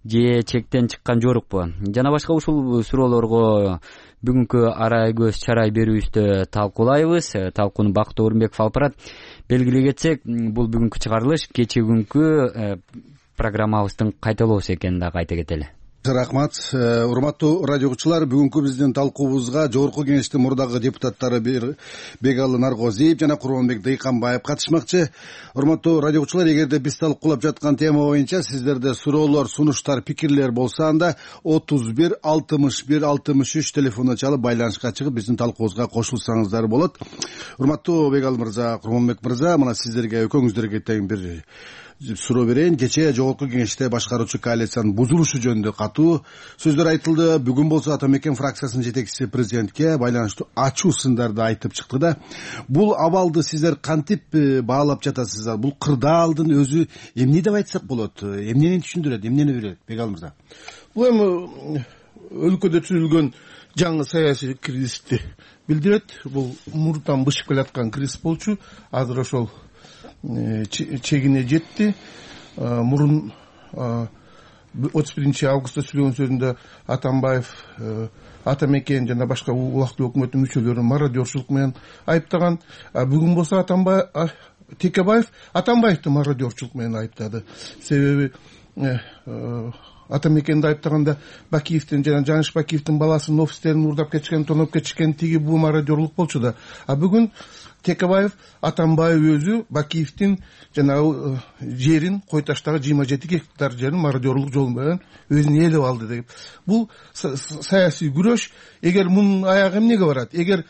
же чектен чыккан жорукпу? Жана башка ушул суроолорго бүгүнкү арай көз чарай берүүбүздө талкуулайбыз. Талкууну Бакыт Орунбеков алып барат. Белгилей кетсек, бул бүгүнкү чыгарылыш кечээ күnkү программабыздын кайталоосу экенин дагы айта кетели. Рахмат. Урматтуу радио угуучулар, бүгүнкү биздин талкуубузга Жогорку Кеңештин мурдагы депутаттары Бегалы Наргозиев жана Курманбек Дыйканбаев катышмакчы. Урматтуу радио угуучулар, эгерде биз талкуулап жаткан тема боюнча сиздерде суроолор, сунуштар, пикирлер болсо, анда 31 61 63 телефонуна чалып байланышка чыгып биздин талкуубузга кошулсаңыздар болот. Урматтуу Бегалы мырза, Курманбек мырза, мына сиздерге, экөөңүздөргө тең бир суроо берейин. Кечээ Жогорку Кеңеште башкаруучу коалициянын бузулушу жөнүндө катуу сөздөр айтылды. Бүгүн болсо Ата Мекен фракциясынын жетекчиси президентке байланыштуу ачуу сындарды айтып чыкты да. Бул абалды сиздер кантип баалап жатасыздар? Бул кырдаалдын өзү эмне деп айтсак болот? Эмнени түшүндүрөт, эмнени берет? Бегалы мырза. Бул эми өлкөдө түзүлгөн жаңы саясий кризисти билдирет. Бул мурдтан бышып келаткан кризис болчу. Азыр ошол чегине жетти. Мурун 31 августта сүйлөгөн сөзүндө Атамбаев Ата Мекен жана башка убактылуу өкмөттүн мүчөлөрүн мародерчулук менен айыптаган. Бүгүн болсо Текебаев Атамбаевди мародерчулук менен айыптады. Себеби Ата Мекенди айыптаганда Бакиевдин жана Жаныш Бакиевдин баласынын офистерин урдап кетишкен, тоноп кетишкен, тиги бул мародерлук болчу да. Бүгүн Текебаев Атамбаев өзү Бакиевдин жана жерин, Кой таштагы 27 гектар жерин мародерлук жол менен өзүнө ээлеп алды деп. Бул саясий күрөш. Эгер мунун аягы эмнеге барат? Эгер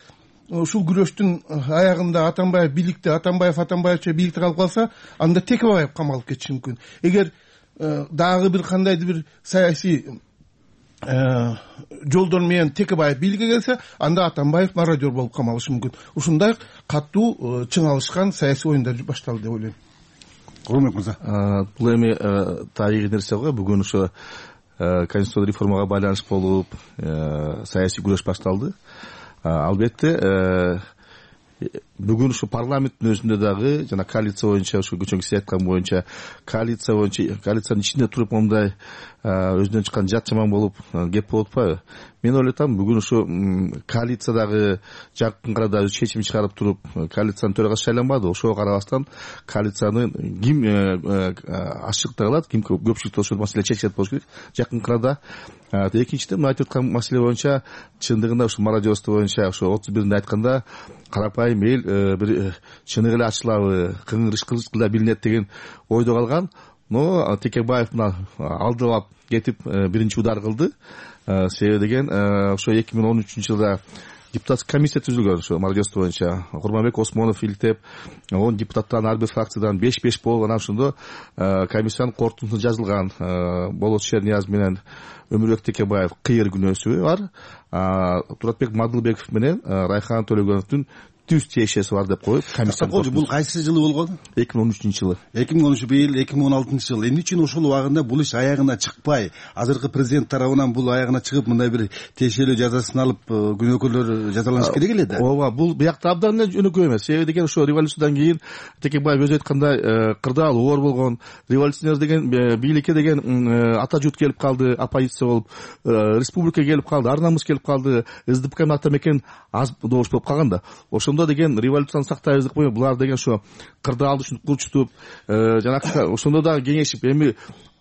ушул күрөштүн аягында Атамбаев бийликте, Атамбаевча бийликте калып калса, анда Текебаев камалып кетиши мүмкүн. Эгер дагы бир кандайдыр бир саясий жолдор менен Текебаев бийликке келсе, анда Атамбаев мародер болуп камалышы мүмкүн. Ушундай катуу чыңалышкан саясий оюндар башталды деп ойлойм. Курманбек мырза. Бул эми тарыхый нерсе го. Бүгүн ошо конституциялык реформага байланыштуу болуп саясий күрөш башталды. Албетте бүгүн ушу парламенттин өзүндө дагы жана коалиция боюнча, ушу көчөңүз айткан боюнча коалициянын ичинде туруп мондай өзүнөн чыккан жат жаман болуп кеп болуп атпайбы? Мен ойлойм, бүгүн ушу коалициядагы жакын арада чечим чыгарып туруп коалициянын төрагасы шайланбады. Ошого карабастан коалицияны ким ашыктыра алат, ким көпчүлүктө ушул маселе чечет болуш керек жакын арада. Экинчиден, мына айтып аткан маселе боюнча чындыгында ушу мародерство боюнча ушу 31-нде айтканда карапайым эл бир чыныгы эле ачылабы, кыңгырышкылда билинет деген ойдо калган. Но Текебаев мына алдылап кетип биринчи удар кылды. Себеби деген ошо 2013-жылда депутаттык комиссия түзүлгөн ошо мародерство боюнча. Курманбек Осмонов илтеп, он депутаттан ар бир фракциядан 5-5 болуп, анан ошондо комиссиянын корутундусу жазылган. Болот Шернияз менен Өмүрбек Текебаев кыйыр күнөөсү бар. Туратбек Мадылбеков менен Райхан Төлөгөновдун түз тиешеси бар деп коюп комиссия. Бул кайсы жылы болгон? 2013-жылы. 2013 быйыл 2016-жылы. Эмне үчүн ошол убагында бул иш аягына чыкпай, азыркы президент тарабынан бул аягына чыгып мындай бир тиешелүү жазасын алып күнөөкөрлөр жазаланыш керек эле да? Ооба, бул биякта абдан эле жөнөкөй эмес. Себеби деген ошо революциядан кийин Текебаев өзү айткандай кырдаал оор болгон. Революционер деген бийликке деген ата журт келип калды, оппозиция болуп, республика келип калды, ар намыс келип калды, СДПК менен Ата Мекен аз добуш болуп калган да. Ошондо деген революцияны сактайбыз деп коюп, булар деген ошо кырдаалды ушинтип курчутуп, жанакы ошондо да кеңешип, эми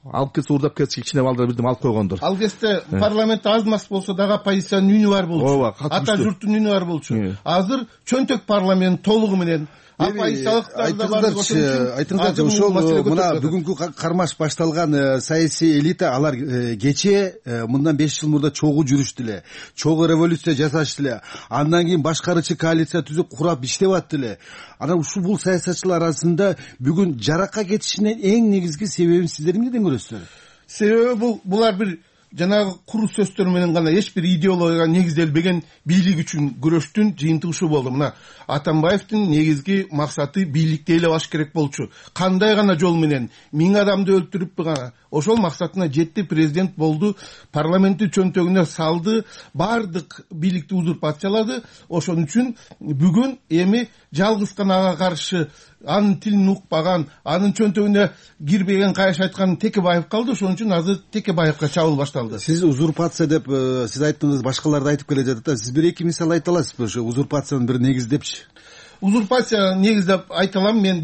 алып кетсе урдап кетсе кичине балдар бирдеме алып койгондор. Ал кезде парламент аз мас болсо дагы оппозициянын үнү бар болчу. Ата журттун үнү бар болчу. Азыр чөнтөк парламент толугу менен айтыңыздарчы, ошол мына бүгүнкү кармаш башталган саясий элита, алар кечээ мындан 5 жыл мурда чогуу жүрүштү эле, чогуу революция жасашты эле, андан кийин башкаруучу коалиция түзүп курап иштеп атты эле. Анан ушул бул саясатчылар арасында бүгүн жаракка кетишинин эң негизги себебин сиздер эмнеден көрөсүздөр? Себеби булар бир жанагы куру сөздөр менен гана эч бир идеологияга негизделбеген бийлик үчүн күрөштүн жыйынтыгы ушу болду. Мына Атамбаевдин негизги максаты бийликти ээлеп алыш керек болчу. Кандай гана жол менен 1000 адамды өлтүрүп гана ошол максатына жетти, президент болду, парламенттин чөнтөгүнө салды, бардык бийликти узурпациялады. Ошон үчүн бүгүн эми жалгыз гана ага каршы анын тилин укпаган, анын чөнтөгүнө кирбеген, кайш айткан Текебаев калды. Ошон үчүн азыр Текебаевга чабуул башталды. калды. Сиз узурпация деп сиз айттыңыз, башкалар да айтып келе жатат да. Сиз бир эки мисал айта аласызбы ошо узурпациянын бир негиздепчи? Узурпация негиздеп айта алам. Мен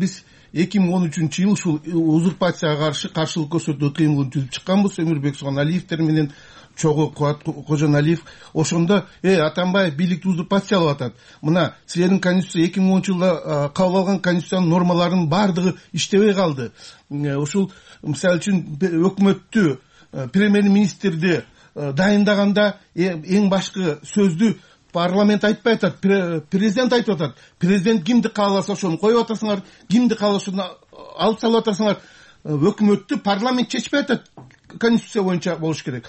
2013-жылы ушул узурпацияга каршы каршылык көрсөтүү кыймылын түзүп чыкканбыз. Өмүрбек Сууганалиевдер менен чогуу Кубат Кожоналиев. Ошондо Атамбаев бийликти узурпациялап атат. Мына силердин конституция 2010-жылда кабыл алган конституциянын нормаларынын баардыгы иштебей калды. Ушул мисалы үчүн өкмөттү, премьер-министрди дайындаганда эң башкы сөздү парламент айтпай атат, президент айтып атат. Президент кимди кааласа ошону коюп атасыңар, кимди кааласа ошону алып салып атасыңар. Өкмөттү парламент чечпей атат. Конституция боюнча болуш керек.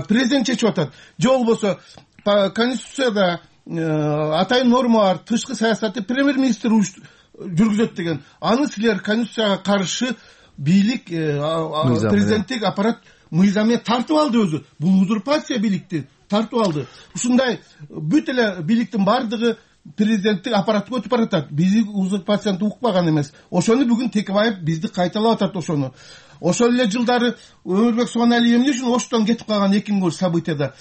Президент чечип атат. Же болбосо конституцияда атайын норма бар, тышкы саясатты премьер-министр жүргүзөт деген. Аны силер конституцияга каршы бийлик, президенттик аппарат мыйзам тартып алды өзү. Бул узурпация бийликти тартып алды. Ушундай бүт эле бийликтин бардыгы президенттик аппаратты өтүп баратат. Биз узурпацияны укпаган эмес. Ошону бүгүн Текебаев бизди кайталап атат ошону. Ошол эле жылдары Өмүрбек Сууганалиев эмне үчүн Оштон кетип калган 2000 событияда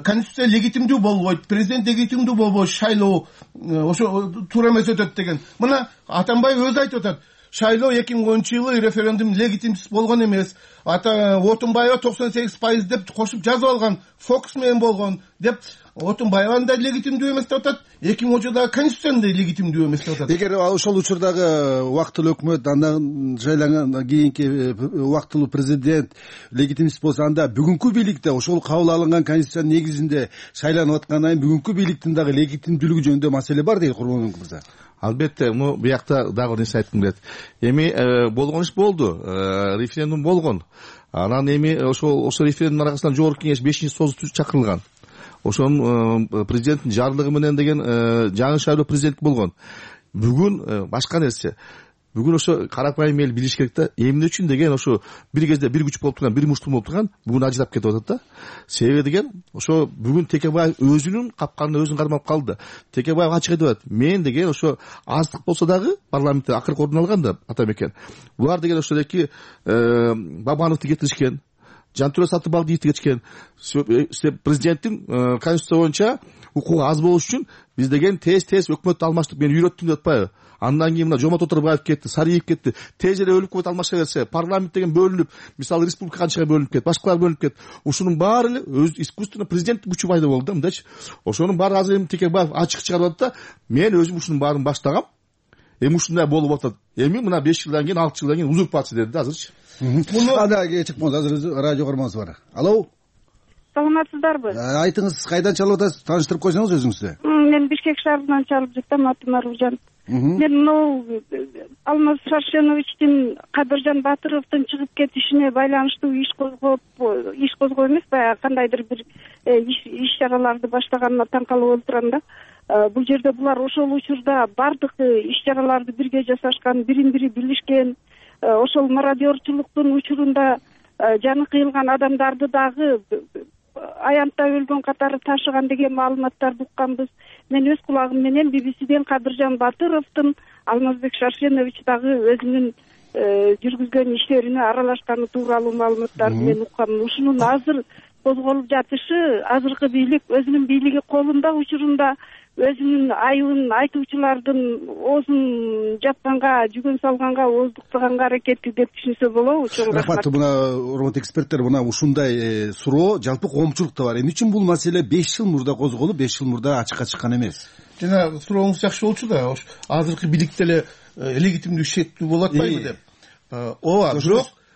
конституция легитимдүү болбойт, президент легитимдүү болбойт, шайлоо ошо туура эмес өтөт деген. Мына Атамбаев өзү айтып атат. Шайлоо 2010-жылы референдум легитимсиз болгон эмес. Отунбаева 98% деп кошуп жазып алган, фокус менен болгон деп Отунбаеванын да легитимдүү эмес деп атат. 2010-жылдагы конституциянын да легитимдүү эмес деп атат. Эгер ошол учурдагы убактылуу өкмөт, андан шайлангандан кийинки убактылуу президент легитимсиз болсо, анда бүгүнкү бийликте ошол кабыл алынган конституциянын негизинде шайланып аткандан кийин бүгүнкү бийликтин дагы легитимдүүлүгү жөнүндө маселе бар дейт Курманбек мырза. Албетте, биякта дагы бир нерсе айткым келет. Эми болгон иш болду, референдум болгон. Анан эми ошол референдумдун аркасынан жогорку кеңеш 5-созу чакырылган. Ошонун президенттин жарлыгы менен деген жаңы шайлоо президент болгон. Бүгүн башка нерсе. Бүгүн ошо карапайым эл билиш керек да, эмне үчүн деген ошо бир кезде бир күч болуп турган, бир муштум болуп турган, бүгүн ажырап кетип атат да. Себеби деген ошо бүгүн Текебаев өзүнүн капканына өзүн кармап калды. Текебаев ачык айтып атат. Мен деген ошо аздык болсо дагы парламентте акыркы ордун алган да Атамекен. Булар деген ошо эки Бабановду кетиришкен, Жантүрө Сатыбалдиевди кетишкен. Президенттин конституция боюнча укугу аз болуш үчүн биз деген тез өкмөттү алмаштык, мен үйрөттүм деп атпайбы? Андан кийин мына Жомот Оторбаев кетти, Сариев кетти. Тез эле өлүп кетип алмаша берсе, парламент деген бөлүнүп, мисалы республика канчага бөлүнүп кетти, башкалар бөлүнүп кетти. Ушунун баары эле өз искусственно президенттик күчү пайда болду да, мындачы. Ошонун баары азыр эми Текебаев ачык чыгарып атат да, мен өзүм ушунун баарын баштагам. Эми ушундай болуп атат. Эми мына 5 жылдан кийин, 6 жылдан кийин узурпация деди да азырчы. Муну ада чыкпаңыз, азыр радио көрмөңүз бар. Алло. Саламатсыздарбы? Айтыңыз, кайдан чалып атасыз? Тааныштырып койсоңуз өзүңүздү. Мен Бишкек шаарынан чалып жатам, атым Аружан. Мен могу Алмаз Шаршеновичтин, Кадыржан Батыровдун чыгып кетишине байланыштуу иш козгоо эмес, баягы кандайдыр бир иш чараларды баштаганына таң калып отурам да. Бул жерде булар ошол учурда бардык иш чараларды бирге жасашкан, бирин бири билишкен. Ошол мародерчулуктун учурунда жаны кыйылган адамдарды дагы аянтта өлгөн катары ташыган деген маалыматтарды укканбыз. Мен өз кулагым менен BBC-ден Кадыржан Батыровдун Алмазбек Шаршенович дагы өзүнүн жүргүзгөн иштерине аралашканы тууралуу маалыматтарды мен уккам. Ушунун азыр козголуп жатышы, азыркы бийлик өзүнүн бийлиги колунда учурунда өзүнүн айыбын айтуучулардын оозун жапканга, жүгөн салганга, ооздуктаганга аракетти деп түшүнсө болобу? Чоң рахмат. Мына урматтуу эксперттер, мына ушундай суроо жалпы коомчулукта бар. Эмне үчүн бул маселе 5 жыл мурда козголуп, 5 жыл мурда ачыкка чыккан эмес? Жана сурооңуз жакшы болчу да, азыркы бийликте эле легитимдүү шектүү болуп атпайбы деп. Ооба,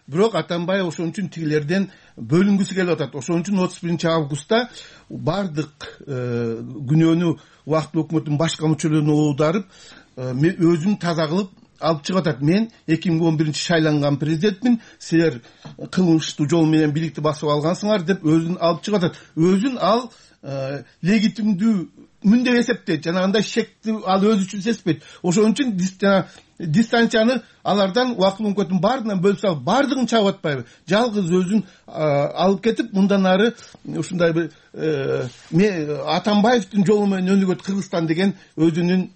бирок Атамбаев ошон үчүн тигилерден бөлүнгүсү келип атат. Ошон үчүн 31-августта бардык күнөөнү убактылуу өкмөттүн башка мүчөлөрүнө оодарып, өзүн таза кылып алып чыгып атат. Мен 2011 шайланган президентмин, силер кылмыштуу жол менен бийликти басып алгансыңар деп өзүн алып чыгып атат. Өзүн ал легитимдүүмүн деп эсептейт. Жанагындай шекти ал өзү үчүн сезбейт. Ошон үчүн дистанцияны алардан убактылуу өкмөттүн баарынан бөлүп салып, бардыгын чабып атпайбы? Жалгыз өзүн алып кетип, мындан ары ушундай бир Атамбаевдин жолу менен өнүгөт Кыргызстан деген өзүнүн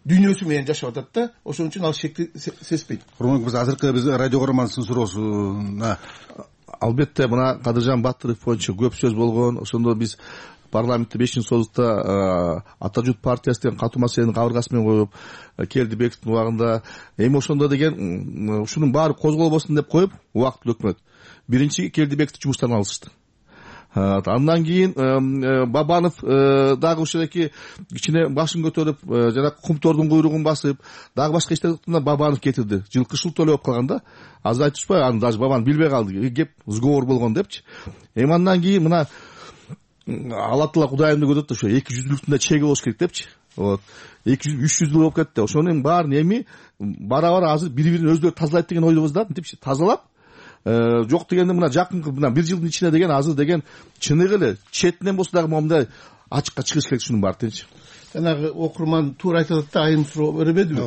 дүйнөсү менен жашап атат да. Ошон үчүн ал шекти сезбейт. Курманбек мырза, азыркы биз радио көрөрмандын суроосуна албетте мына Кадыржан Батыров боюнча көп сөз болгон. Ошондо биз парламентте 5 союзда Ата журт партиясы деген катуу маселени кабыргасы менен коюп Келдибековдун убагында эми ошондо деген ушунун баары козголбосун деп коюп убактылуу өкмөт биринчи Келдибековду жумуштан алышты. Андан кийин Бабанов дагы ушеки кичине башын көтөрүп жана кумтордун куйругун басып дагы башка иштерде Бабанов кетирди. Жылкы шултоо эле болуп калганда азыр айтышпайбы, аны даже Бабанов билбей калды. Кеп сговор болгон депчи. Эми андан кийин мына Алла Кудайымды көрөт ошо 200-лүктүн да чеги болуш керек депчи. Вот 200-300 болуп кетти. Ошонун баарын эми бара азыр бири-бирин өздөрү тазалайт деген ойдобуз депчи. Тазалап жок дегенде мына жакынкы мына 1 жылдын ичинде деген азыр деген чыныгы эле четинен болсо дагы момундай ачыкка чыгыш керек ушунун баары дечи. Жанагы окурман туура айтып атат да, айым суроо бербедиби?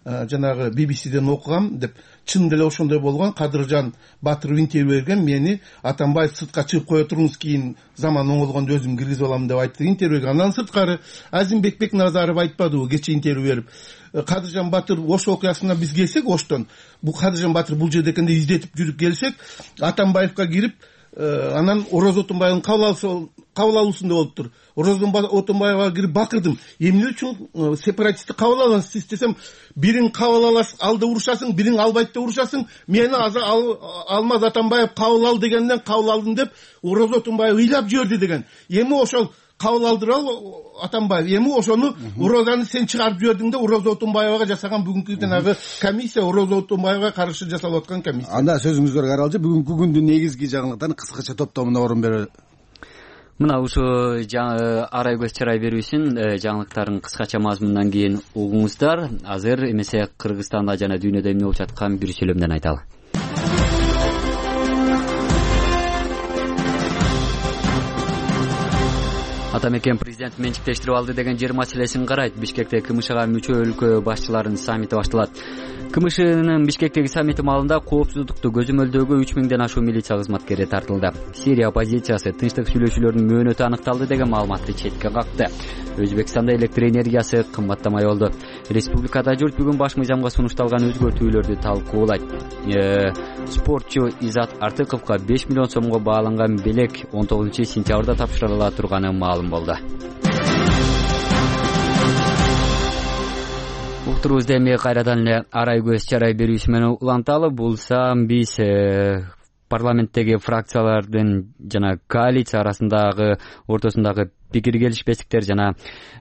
Жанагы BBC-ден окугам деп, чын деле ошондой болгон. Кадыржан Батыров интервью берген, мени Атамбаев сыртка чыгып кое туруңуз, кийин заман оңолгондо өзүм киргизип алам деп айтты интервьюга. Андан сырткары Азимбек Бекназаров айтпадыбы кече интервью берип, Кадыржан Батыров Ош окуясына биз келсек, Оштон бул Кадыржан Батыров бул жерде экенде издетип жүрүп келсек, Атамбаевка кирип, анан Орозо Отунбаевдын кабыл алуусунда болуптур. Орозо Отунбаевга кирип бакырдым. Эмне үчүн сепаратистти кабыл аласыз десем, бирин кабыл аласың, алды урушасың, бирин албайт деп урушасың. Мени азыр Алмаз Атамбаев кабыл ал дегенден кабыл алдым деп Орозо Отунбаев ыйлап жиберди деген. Эми ошол кабыл алдырал Атамбаев. Эми ошону Орозаны сен чыгарып жибердиң да Орозо Отунбаевга жасаган бүгүнкү жанагы комиссия, Орозо Отунбаевга каршы жасалып аткан комиссия. Анда сөзүңүзгө каралчы бүгүнкү күндүн негизги жаңылыктарын кыскача топтомуна орун берели. Мына ушу арай көз чарай берүүсүн жаңылыктарын кыскача мазмундан кийин угуңуздар. Азыр эмесе Кыргызстанда жана дүйнөдө эмне болуп жаткан бир сүйлөмдөн айталы. Атамекен президент менчиктештирип алды деген жер маселесин карайт. Бишкекте КМШга мүчө өлкө башчыларынын саммити башталат. КМШнын Бишкектеги саммити маалында коопсуздукту көзөмөлдөөгө 3000ден ашуун милиция кызматкери тартылды. Сирия оппозициясы тынчтык сүйлөшүүлөрүнүн мөөнөтү аныкталды деген маалыматты четке какты. Өзбекстанда электр энергиясы кымбаттамай болду. Республикада журт бүгүн баш мыйзамга сунушталган өзгөртүүлөрдү талкуулайт. Спортчу Изат Артыковго 5 миллион сомго бааланган белек 19-сентябрда тапшырыла турганы маалым болду. Уктурубузду эми кайрадан эле арай көз чарай берүүсү менен уланталы. Булса биз парламенттеги фракциялардын жана коалиция арасындагы ортосундагы пикир келишпестиктер жана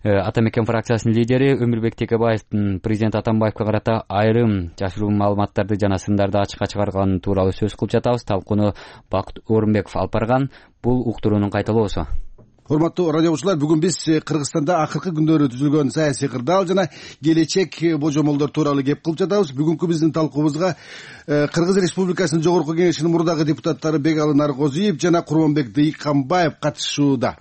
Атамекен фракциясынын лидери Өмүрбек Текебаевдин президент Атамбаевга карата айрым жашыруун маалыматтарды жана сындарды ачыкка чыгарганы тууралуу сөз кылып жатабыз. Талкууну Бакыт Орунбеков алып барган. Бул уктуруунун кайталоосу. Урматтуу радиочулар, бүгүн биз Кыргызстанда акыркы күндөрү түзүлгөн саясий кырдаал жана келечек божомолдор тууралуу кеп кылып жатабыз. Бүгүнкү биздин талкуубузга Кыргыз Республикасынын Жогорку Кеңешинин мурдагы депутаттары Бегалы Наргозиев жана Курманбек Дыйканбаев катышууда.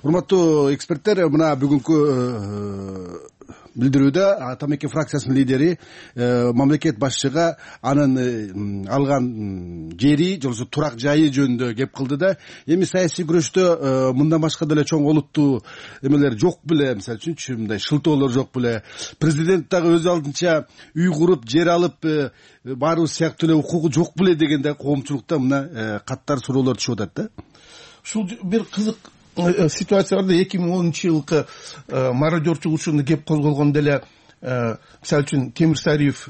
Урматтуу эксперттер, мына бүгүнкү билдирүүдө Атамекен фракциясынын лидери мамлекет башчыга анын алган жери жолсу турак жайы жөнүндө кеп кылды да, эми саясий күрөштө мындан башка деле чоң олуттуу эмелер жок беле, мисалы үчүнчү мындай шылтоолор жок беле, президент дагы өз алдынча үй куруп жер алып баарыбыз сыяктуу эле укугу жок беле дегенде коомчулукта мына каттар суроолор түшүп атат да. Ушул бир кызык ситуация барда. 2010-жылкы мародерчулук ушуну кеп козголгондо эле мисалы үчүн Темирсариев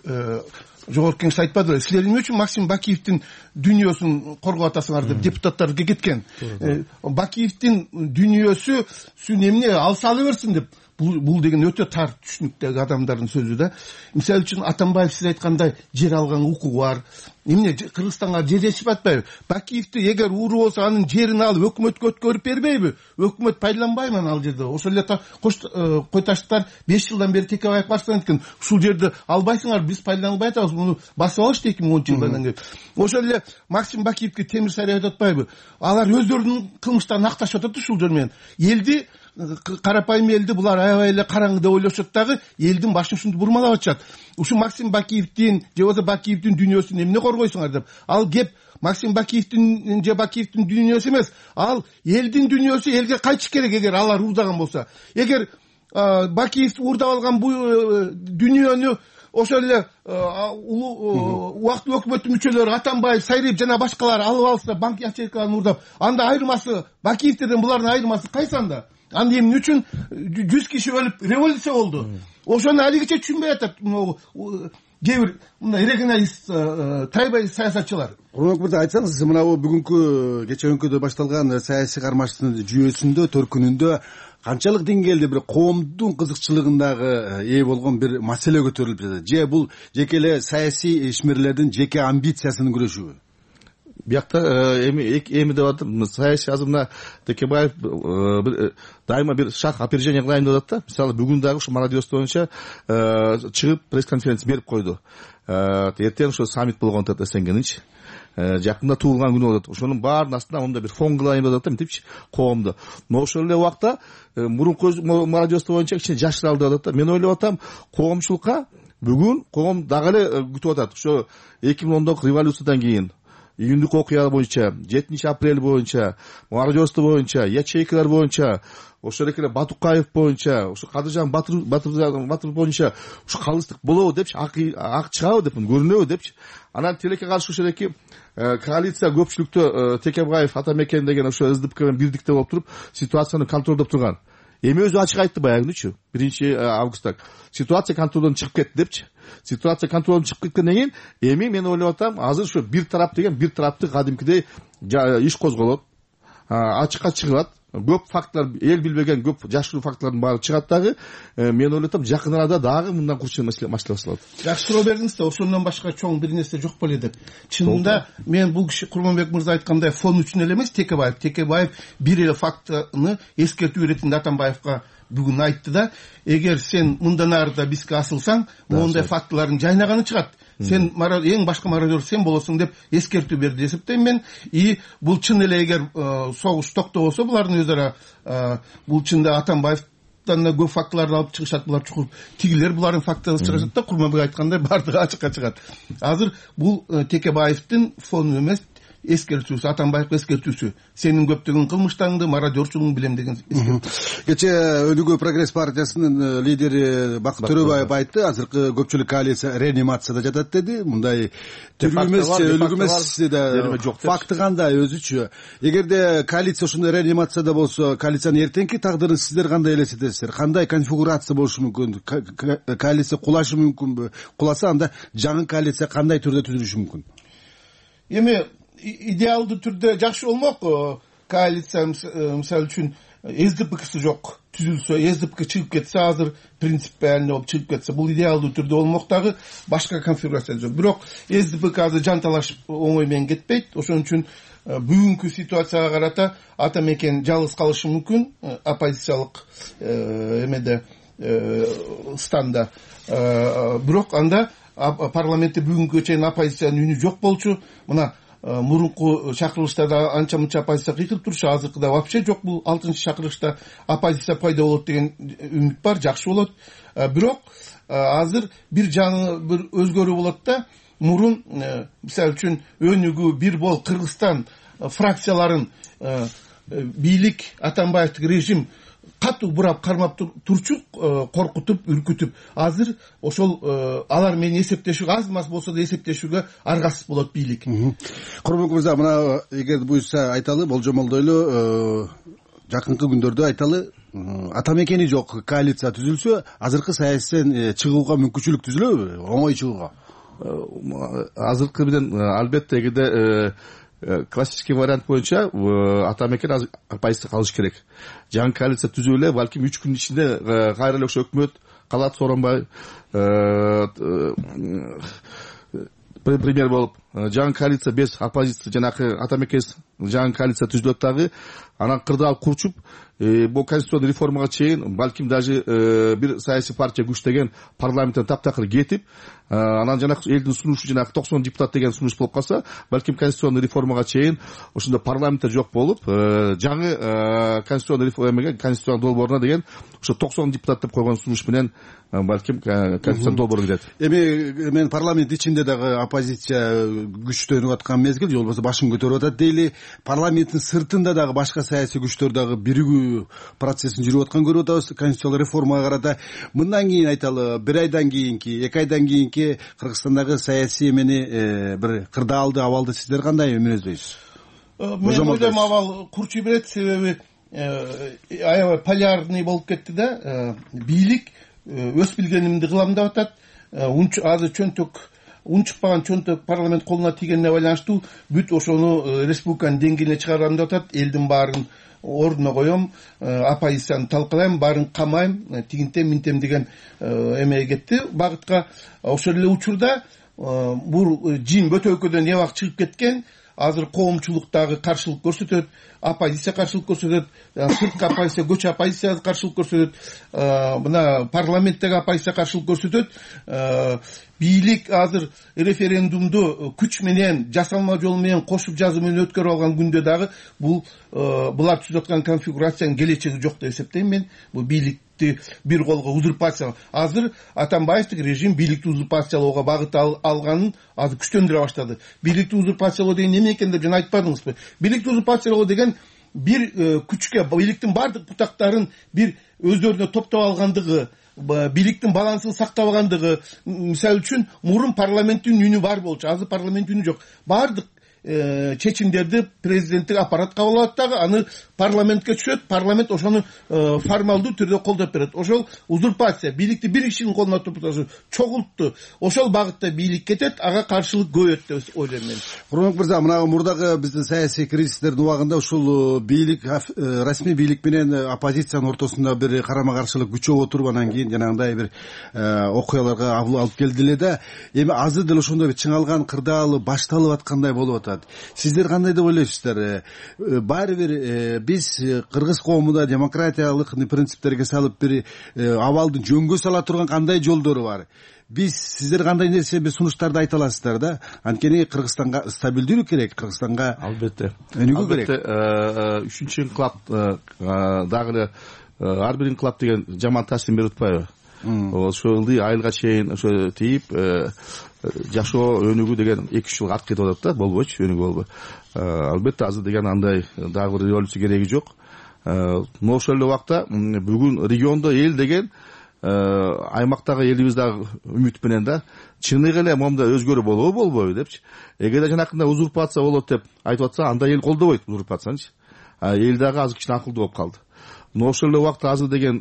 Жогорку Кеңеш айтпады, силер эмне үчүн Максим Бакиевдин дүйнөсүн коргоп атасыңар деп депутаттар кеткен. Бакиевдин дүйнөсүн эмне алса ала берсин деп. Бул деген өтө тар түшүнүктөгү адамдардын сөзү да. Мисалы үчүн Атамбаев сиз айткандай жер алган укугу бар. Эмне Кыргызстанга жер жетишип атпайбы? Бакиевди эгер ууру болсо анын жерин алып өкмөткө өткөрүп бербейби? Өкмөт пайдаланбайбы ал жерде? Ошол эле Койташтар 5 жылдан бери Текебаев баштаган экен. Ушул жерди албайсыңар, биз пайдаланбай атабыз, муну басып алышты 2010-жылдан кеп. Ошол эле Максим Бакиевге Темирсариев атпайбы? Алар өздөрүнүн кылмыштарын акташып атат ушул жер менен. Элди, карапайым элди булар аябай эле караңгы деп ойлошот дагы, элдин башын ушинтип бурмалап атышат. Ушу Максим Бакиевдин же болбосо Бакиевдин дүйнөсүн эмне коргойсуңар деп. Ал кеп Максим Бакиевдин же Бакиевдин дүйнөсү эмес, ал элдин дүйнөсү, элге кайтыш керек эгер алар уурдаган болсо. Эгер Бакиев уурдап алган бул дүйнөнү ошол эле убактылуу өкмөттүн мүчөлөрү Атамбаев, Сайриев жана башкалар алып алса банк ячейкаларын уурдап, анда айырмасы Бакиевтерден булардын айырмасы кайсы анда? Анда эмне үчүн 100 киши өлүп революция болду? Ошону алигиче түшүнбөй атат кээ бир мындай регионалист тайбай саясатчылар. Курманбек мырза, айтсаңыз, мына бүгүнкү кечээ өңкөдө башталган саясий кармаштын жүйөсүндө, төркүнүндө канчалык деңгээлде бир коомдун кызыкчылыгындагы ээ болгон бир маселе көтөрүлүп жатат? Же бул жеке эле саясий ишмерлердин жеке амбициясынын күрөшүбү? Биякта эми деп атам, саясий азыр мына Текебаев дайыма бир шаг опережение кылайын деп атат да. Мисалы бүгүн дагы ушу молодежь боюнча чыгып пресс-конференция берип койду. Эртең ушу саммит болгон атат СНГнинчи. Жакында туулган күнү болот. Ошонун баарынын астына мондай бир фон кылайын деп атат да, мынтипчи, коомду. Но ошол эле убакта мурунку молодежь боюнча кичине жашыралы деп атат да. Мен ойлоп атам, коомчулукка бүгүн коом дагы эле күтүп атат. Ошо 2010 революциядан кийин июндук окуя боюнча, 7 апрель боюнча, молодежь боюнча, ячейкалар боюнча, ошол эле Батукаев боюнча, ошо Кадыржан Батыр боюнча ушу калыстык болобу депчи, ак чыгабы деп, көрүнөбү депчи. Анан тилекке каршы ошол эки коалиция көпчүлүктө Текебаев, Атамекен деген ошо СДПК менен бирдикте болуп туруп ситуацияны контролдоп турган. Эми өзү ачык айтты баягы күнүчү, 1-августта. Ситуация контролдон чыгып кетти депчи. Ситуация контролдон чыгып кеткенден кийин эми мен ойлоп атам, азыр ушу бир тарап деген бир тарапты кадимкидей иш козголот, ачыкка чыгылат. Көп фактлар, эл билбеген көп жашыруу фактлардын баары чыгат дагы. Мен ойлоп атам, жакын арада дагы мындан курчун маселе башталат. Жакшы суроо бердиңиз да, ошондон башка чоң бир нерсе жок беле деп. Чынында мен бул киши Курманбек мырза айткандай фон үчүн эле эмес, Текебаев бир эле фактыны эскертүү иретинде Атамбаевка бүгүн айтты да, эгер сен мындан арыда бизге асылсаң, мондай фактылардын жайнаганы чыгат. Сен эң башкы мародер сен болосуң деп эскертүү берди деп эсептейм мен. И бул чын эле эгер согуш токтобосо, булардын өз ара бул чында Атамбаевтан көп фактыларды алып чыгышат, булар чукур тигилер булардын фактыларын чыгышат да, Курманбек айткандай бардыгы ачыкка чыгат. Азыр бул Текебаевдин фону эмес, эскертүүсү, Атамбаевга эскертүүсү. Сенин көптөгөн кылмыштарыңды, мародерчулугуңду билем деген эскертүү. Кечээ Өнүгүү прогресс партиясынын лидери Бакыт Төрөбаев айтты, азыркы көпчүлүк коалиция реанимацияда жатат деди. Мындай тирүү эмес, өлүк эмес да, факты кандай өзүчү? Эгерде коалиция ошондой реанимацияда болсо, коалициянын эртеңки тагдырын сиздер кандай элестетесиздер? Кандай конфигурация болушу мүмкүн? Коалиция кулашы мүмкүнбү? Куласа анда жаңы коалиция кандай түрдө түзүлүшү мүмкүн? Эми идеалдуу түрдө жакшы болмок. Коалиция мисалы үчүн СДПКсы жок түзүлсө, СДПК чыгып кетсе, азыр принципиально болуп чыгып кетсе, бул идеалдуу түрдө болмок дагы, башка конфигурация жок. Бирок СДПК азыр жанталашып оңой менен кетпейт. Ошон үчүн бүгүнкү ситуацияга карата Атамекен жалгыз калышы мүмкүн, оппозициялык эмеде станда. Бирок анда парламентте бүгүнкү чейин оппозициянын үнү жок болчу. Мына мурунку чакырылыштарда анча мынча оппозиция кыйкырып турчу, азыркыда вообще жок. Бул 6-чакырылышта оппозиция пайда болот деген үмүт бар, жакшы болот. Бирок азыр бир жаңы бир өзгөрүү болот да. Мурун мисалы үчүн Өнүгүү, Бир Бол, Кыргызстан фракцияларын бийлик, Атамбаевдик режим катуу бурап кармап турчу, коркутуп, үркүтүп. Азыр ошол алар менен эсептешүүгө, аз маз болсо да эсептешүүгө аргасыз болот бийлик. Курманбек мырза, мына эгер буюрса айталы, болжомолдойлу, жакынкы күндөрдө айталы, Атамекени жок коалиция түзүлсө, азыркы саясаттан чыгууга мүмкүнчүлүк түзүлөбү? Оңой чыгууга? Азыркы менен албетте эгерде классический вариант боюнча Атамекен оппозиция калыш керек. Жаңы коалиция түзүп эле, балким 3 күн ичинде кайра эле ошо өкмөт калат, Сооронбай премьер болуп, жаңы коалиция без оппозиция, жанакы Атамекен жаңы коалиция түзүлөт дагы, анан кырды алып курчуп, бул конституционный реформага чейин балким даже бир саясий партия күчтөгөн парламенттен таптакыр кетип, анан жанакы элдин сунушу, жанакы 90 депутат деген сунуш болуп калса, балким конституционный реформага чейин ошондо парламентте жок болуп, жаңы конституционный реформага, конституциялык долбооруна деген ошо 90 депутат деп койгон сунуш менен балким конституциялык долбоор кирет. Эми мен парламент ичинде дагы оппозиция күчтөнүп аткан мезгил же болбосо башын көтөрүп атат дейли. Парламенттин сыртында дагы башка саясий күчтөр дагы биригүү процессин жүрүп атканын көрүп атабыз конституциялык реформага карата. Мындан кийин айталы 1 айдан кийинки 2 айдан кийинки Кыргызстандагы саясий эмени бир кырдаалды абалды сиздер кандай мүнөздөйсүз? Мен ойлойм абал курчуй берет, себеби аябай полярный болуп кетти да. Бийлик өз билгенимди кылам деп атат. Азыр чөнтөк унчукпаган чөнтөк парламент колуна тийгенине байланыштуу бүт ошону республиканын деңгээлине чыгарам деп атат. Элдин баарын ордуна коем, оппозицияны талкалайм, баарын камайм, тигинтем минтем деген эмеге кетти багытка. Ошол эле учурда бул жин бөтөлкөдөн эбак чыгып кеткен. Азыр коомчулук дагы каршылык көрсөтөт, оппозиция каршылык көрсөтөт, сырткы оппозиция, көчө оппозиция каршылык көрсөтөт, мына парламенттеги оппозиция каршылык көрсөтөт. Бийлик азыр референдумду күч менен, жасалма жол менен, кошуп жазуу менен өткөрүп алган күндө дагы булар түзүп аткан конфигурациянын келечеги жок деп эсептейм мен. Бул бийликти бир колго узурпация. Азыр Атамбаевдик режим бийликти узурпациялоого багыт алганын азыр күчтөндүрө баштады. Бийликти узурпациялоо деген эмне экен деп жана айтпадыңызбы? Бийликти узурпациялоо деген бир күчкө, бийликтин бардык бутактарын бир өздөрүнө топтоп алгандыгы, бийликтин балансын сактап алгандыгы. Мисалы үчүн мурун парламенттин үнү бар болчу, азыр парламенттин үнү жок. Бардык чечимдерди президенттик аппарат кабыл алат дагы, аны парламентке түшөт, парламент ошону формалдуу түрдө колдоп берет. Ошол узурпация, бийликти бир кишинин колуна топтошу, чогултту. Ошол багытта бийлик кетет, ага каршылык көбөйөт деп ойлойм мен. Курманбек мырза, мына мурдагы биздин саясий кризистердин убагында ушул бийлик, расмий бийлик менен оппозициянын ортосунда бир карама каршылык күчөп отуруп, анан кийин жанагындай бир окуяларга алып келди эле да. Эми азыр деле ошондой бир чыңалган кырдаалы башталып аткандай болуп атат. Сиздер кандай деп ойлойсуздар? Баары бир биз кыргыз коомунда демократиялык принциптерге салып бир абалды жөнгө сала турган кандай жолдору бар? Сиздер кандай нерсе бир сунуштарды айта аласыздар да? Анткени Кыргызстанга стабилдүүлүк керек, Кыргызстанга албетте өнүгүү керек. Албетте 3-инкылап дагы эле ар бир инкылап деген жаман таасирин берип атпайбы? Ошол ылдый айылга чейин ошо тийип жашоо өнүгүү деген 2-3 жыл арт кетип атат да, болбойчу, өнүгүү болбой. Албетте азыр деген андай дагы бир революция кереги жок. Но ошол эле убакта бүгүн региондо эл деген аймактагы элибиз дагы үмүт менен да чыныгы эле момда өзгөрүү болобу болбойбу депчи. Эгерде жанакындай узурпация болот деп айтып атса, анда эл колдобойт узурпациянычы. Эл дагы азыр кичине акылдуу болуп калды. Но ошол эле убакта азыр деген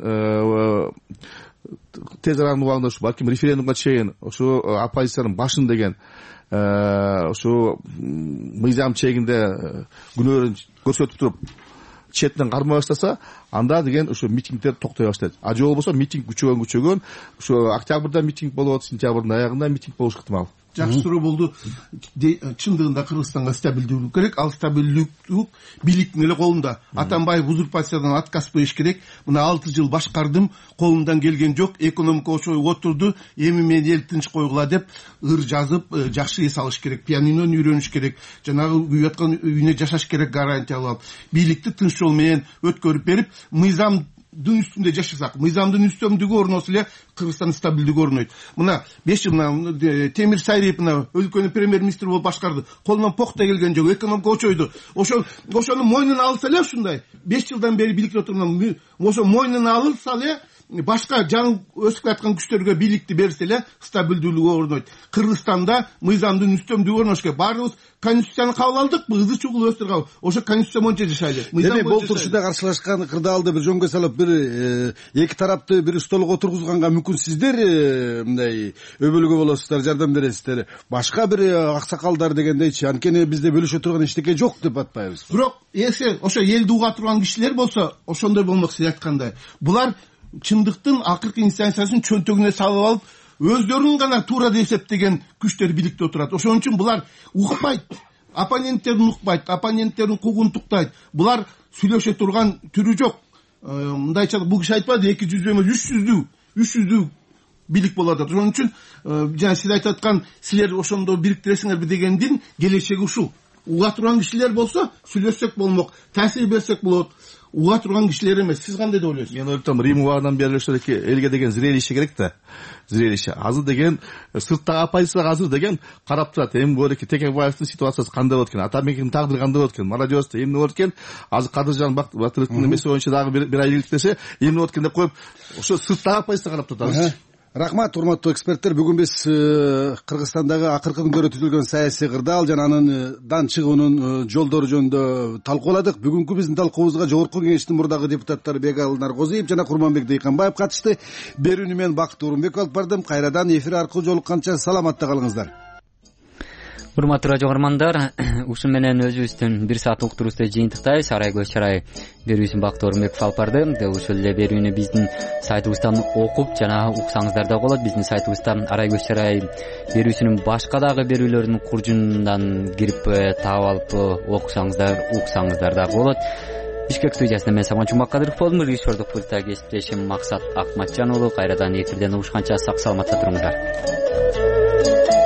тез аранын убагында ушу балким референдумга чейин ошо оппозициянын башын деген ошо мыйзам чегинде күнөөрүн көрсөтүп туруп четинен кармай баштаса, анда деген ошо митингдер токтой баштайт. Же болбосо митинг күчөгөн ошо октябрда митинг болуп атат, сентябрдын аягында митинг болуш ыктымал. Жакшы суроо болду. Чындыгында Кыргызстанга стабилдүүлүк керек. Ал стабилдүүлүк бийликтин эле колунда. Атамбаев узурпациядан отказ бериш керек. Мына 6 жыл башкардым, колумдан келген жок. Экономика ошой отурду. Эми мен эл тынч койгула деп ыр жазып, жакшы эс алыш керек. Пианинону үйрөнүш керек. Жанагы күйүп аткан үйүнө жашаш керек, гарантия алып. Бийликти тынч жол менен өткөрүп берип, мыйзам үстүндө жашасак, мыйзамдын үстөмдүгү орносо эле Кыргызстан стабилдүүлүгү орнойт. Мына 5 жыл Темир Сайриев өлкөнүн премьер-министри болуп башкарды. Колунан похта келген жок, экономика очойду. Ошону мойнуна алса эле ушундай 5 жылдан бери бийликте отурган, ошо мойнуна алынса эле башка жаңы өсүп аткан күчтөргө бийликти берсе эле стабилдүүлүгү орнойт. Кыргызстанда мыйзамдын үстөмдүгү орнош керек. Баарыбыз конституцияны кабыл алдыкпы, ызы чугул өстүр кабыл. Ошо конституция боюнча жашайлы. Демек бул турушуда каршылашкан кырдаалды бир жөнгө салып, бир эки тарапты бир столго отургузганга мүмкүн сиздер мындай өбөлгө болосуздар, жардам бересиздер. Башка бир аксакалдар дегендейчи, анткени бизде бөлүшө турган эчтеке жок деп атпайбыз. Бирок ошо элди уга турган кишилер болсо, ошондой болмок, сиз айткандай. Булар чындыктын акыркы инстанциясын чөнтөгүнө салып алып, өздөрүн гана туура деп эсептеген күчтөр бийликте отурат. Ошон үчүн булар укпайт, оппоненттерин укпайт, оппоненттерин куугунтуктайт. Булар сүйлөшө турган түрү жок. Мындайча бул киши айтпады, 200 эмес 300 бийлик болот. Ошон үчүн жана сиз айтып аткан, силер ошондо бириктиресиңерби дегендин келечеги ушул. уга турган кишилер болсо сүйлөшсөк болмок, таасир берсек болот. Уга турган кишилер эмес. Сиз кандай деп ойлойсуз? Мен ойлойм, Рим убагынан бери элге деген зрелище керек да. Зрелище. Азыр деген сырттагы оппозиция азыр деген карап турат. Эми бөлеки Текебаевдин ситуациясы кандай болот экен, Атамекенин тагдыры кандай болот экен, Молодежьте эмне болот экен, азыр Кадыржан Батыровдун эмеси боюнча дагы бир ай иликтесе эмне болот экен деп коюп, ошо сырттагы оппозиция карап турат азыр. Рахмат, урматтуу эксперттер. Бүгүн биз Кыргызстандагы акыркы күндөрү түзүлгөн саясий кырдаал жана анын чыгуунун жолдору жөнүндө талкууладык. Бүгүнкү биздин талкуубузга Жогорку Кеңештин мурдагы депутаттары Бегалы Наргозиев жана Курманбек Дыйканбаев катышты. Берүүнү мен Бакыт Урунбеков алып бардым. Кайрадан эфир аркылуу жолукканча саламатта калыңыздар. Урматтуу радио көрөрмандар, ушун менен өзүбүздүн 1 саат уктурубузду жыйынтыктайбыз. Арай көз чарай берүүсүн Бакыт Орунбеков алып барды. Ошол эле берүүнү биздин сайтыбыздан окуп жана уксаңыздар да болот. Биздин сайтыбызда Арай көз чарай берүүсүнүн башка дагы берүүлөрүнүн куржунунан кирип таап алып уксаңыздар да болот. Бишкек студиясында мен Саман Жумакадыров болдум. Режиссердук пультта кесиптешим Максат Акматжан уулу. Кайрадан эфирден угушканча сак саламатта туруңуздар.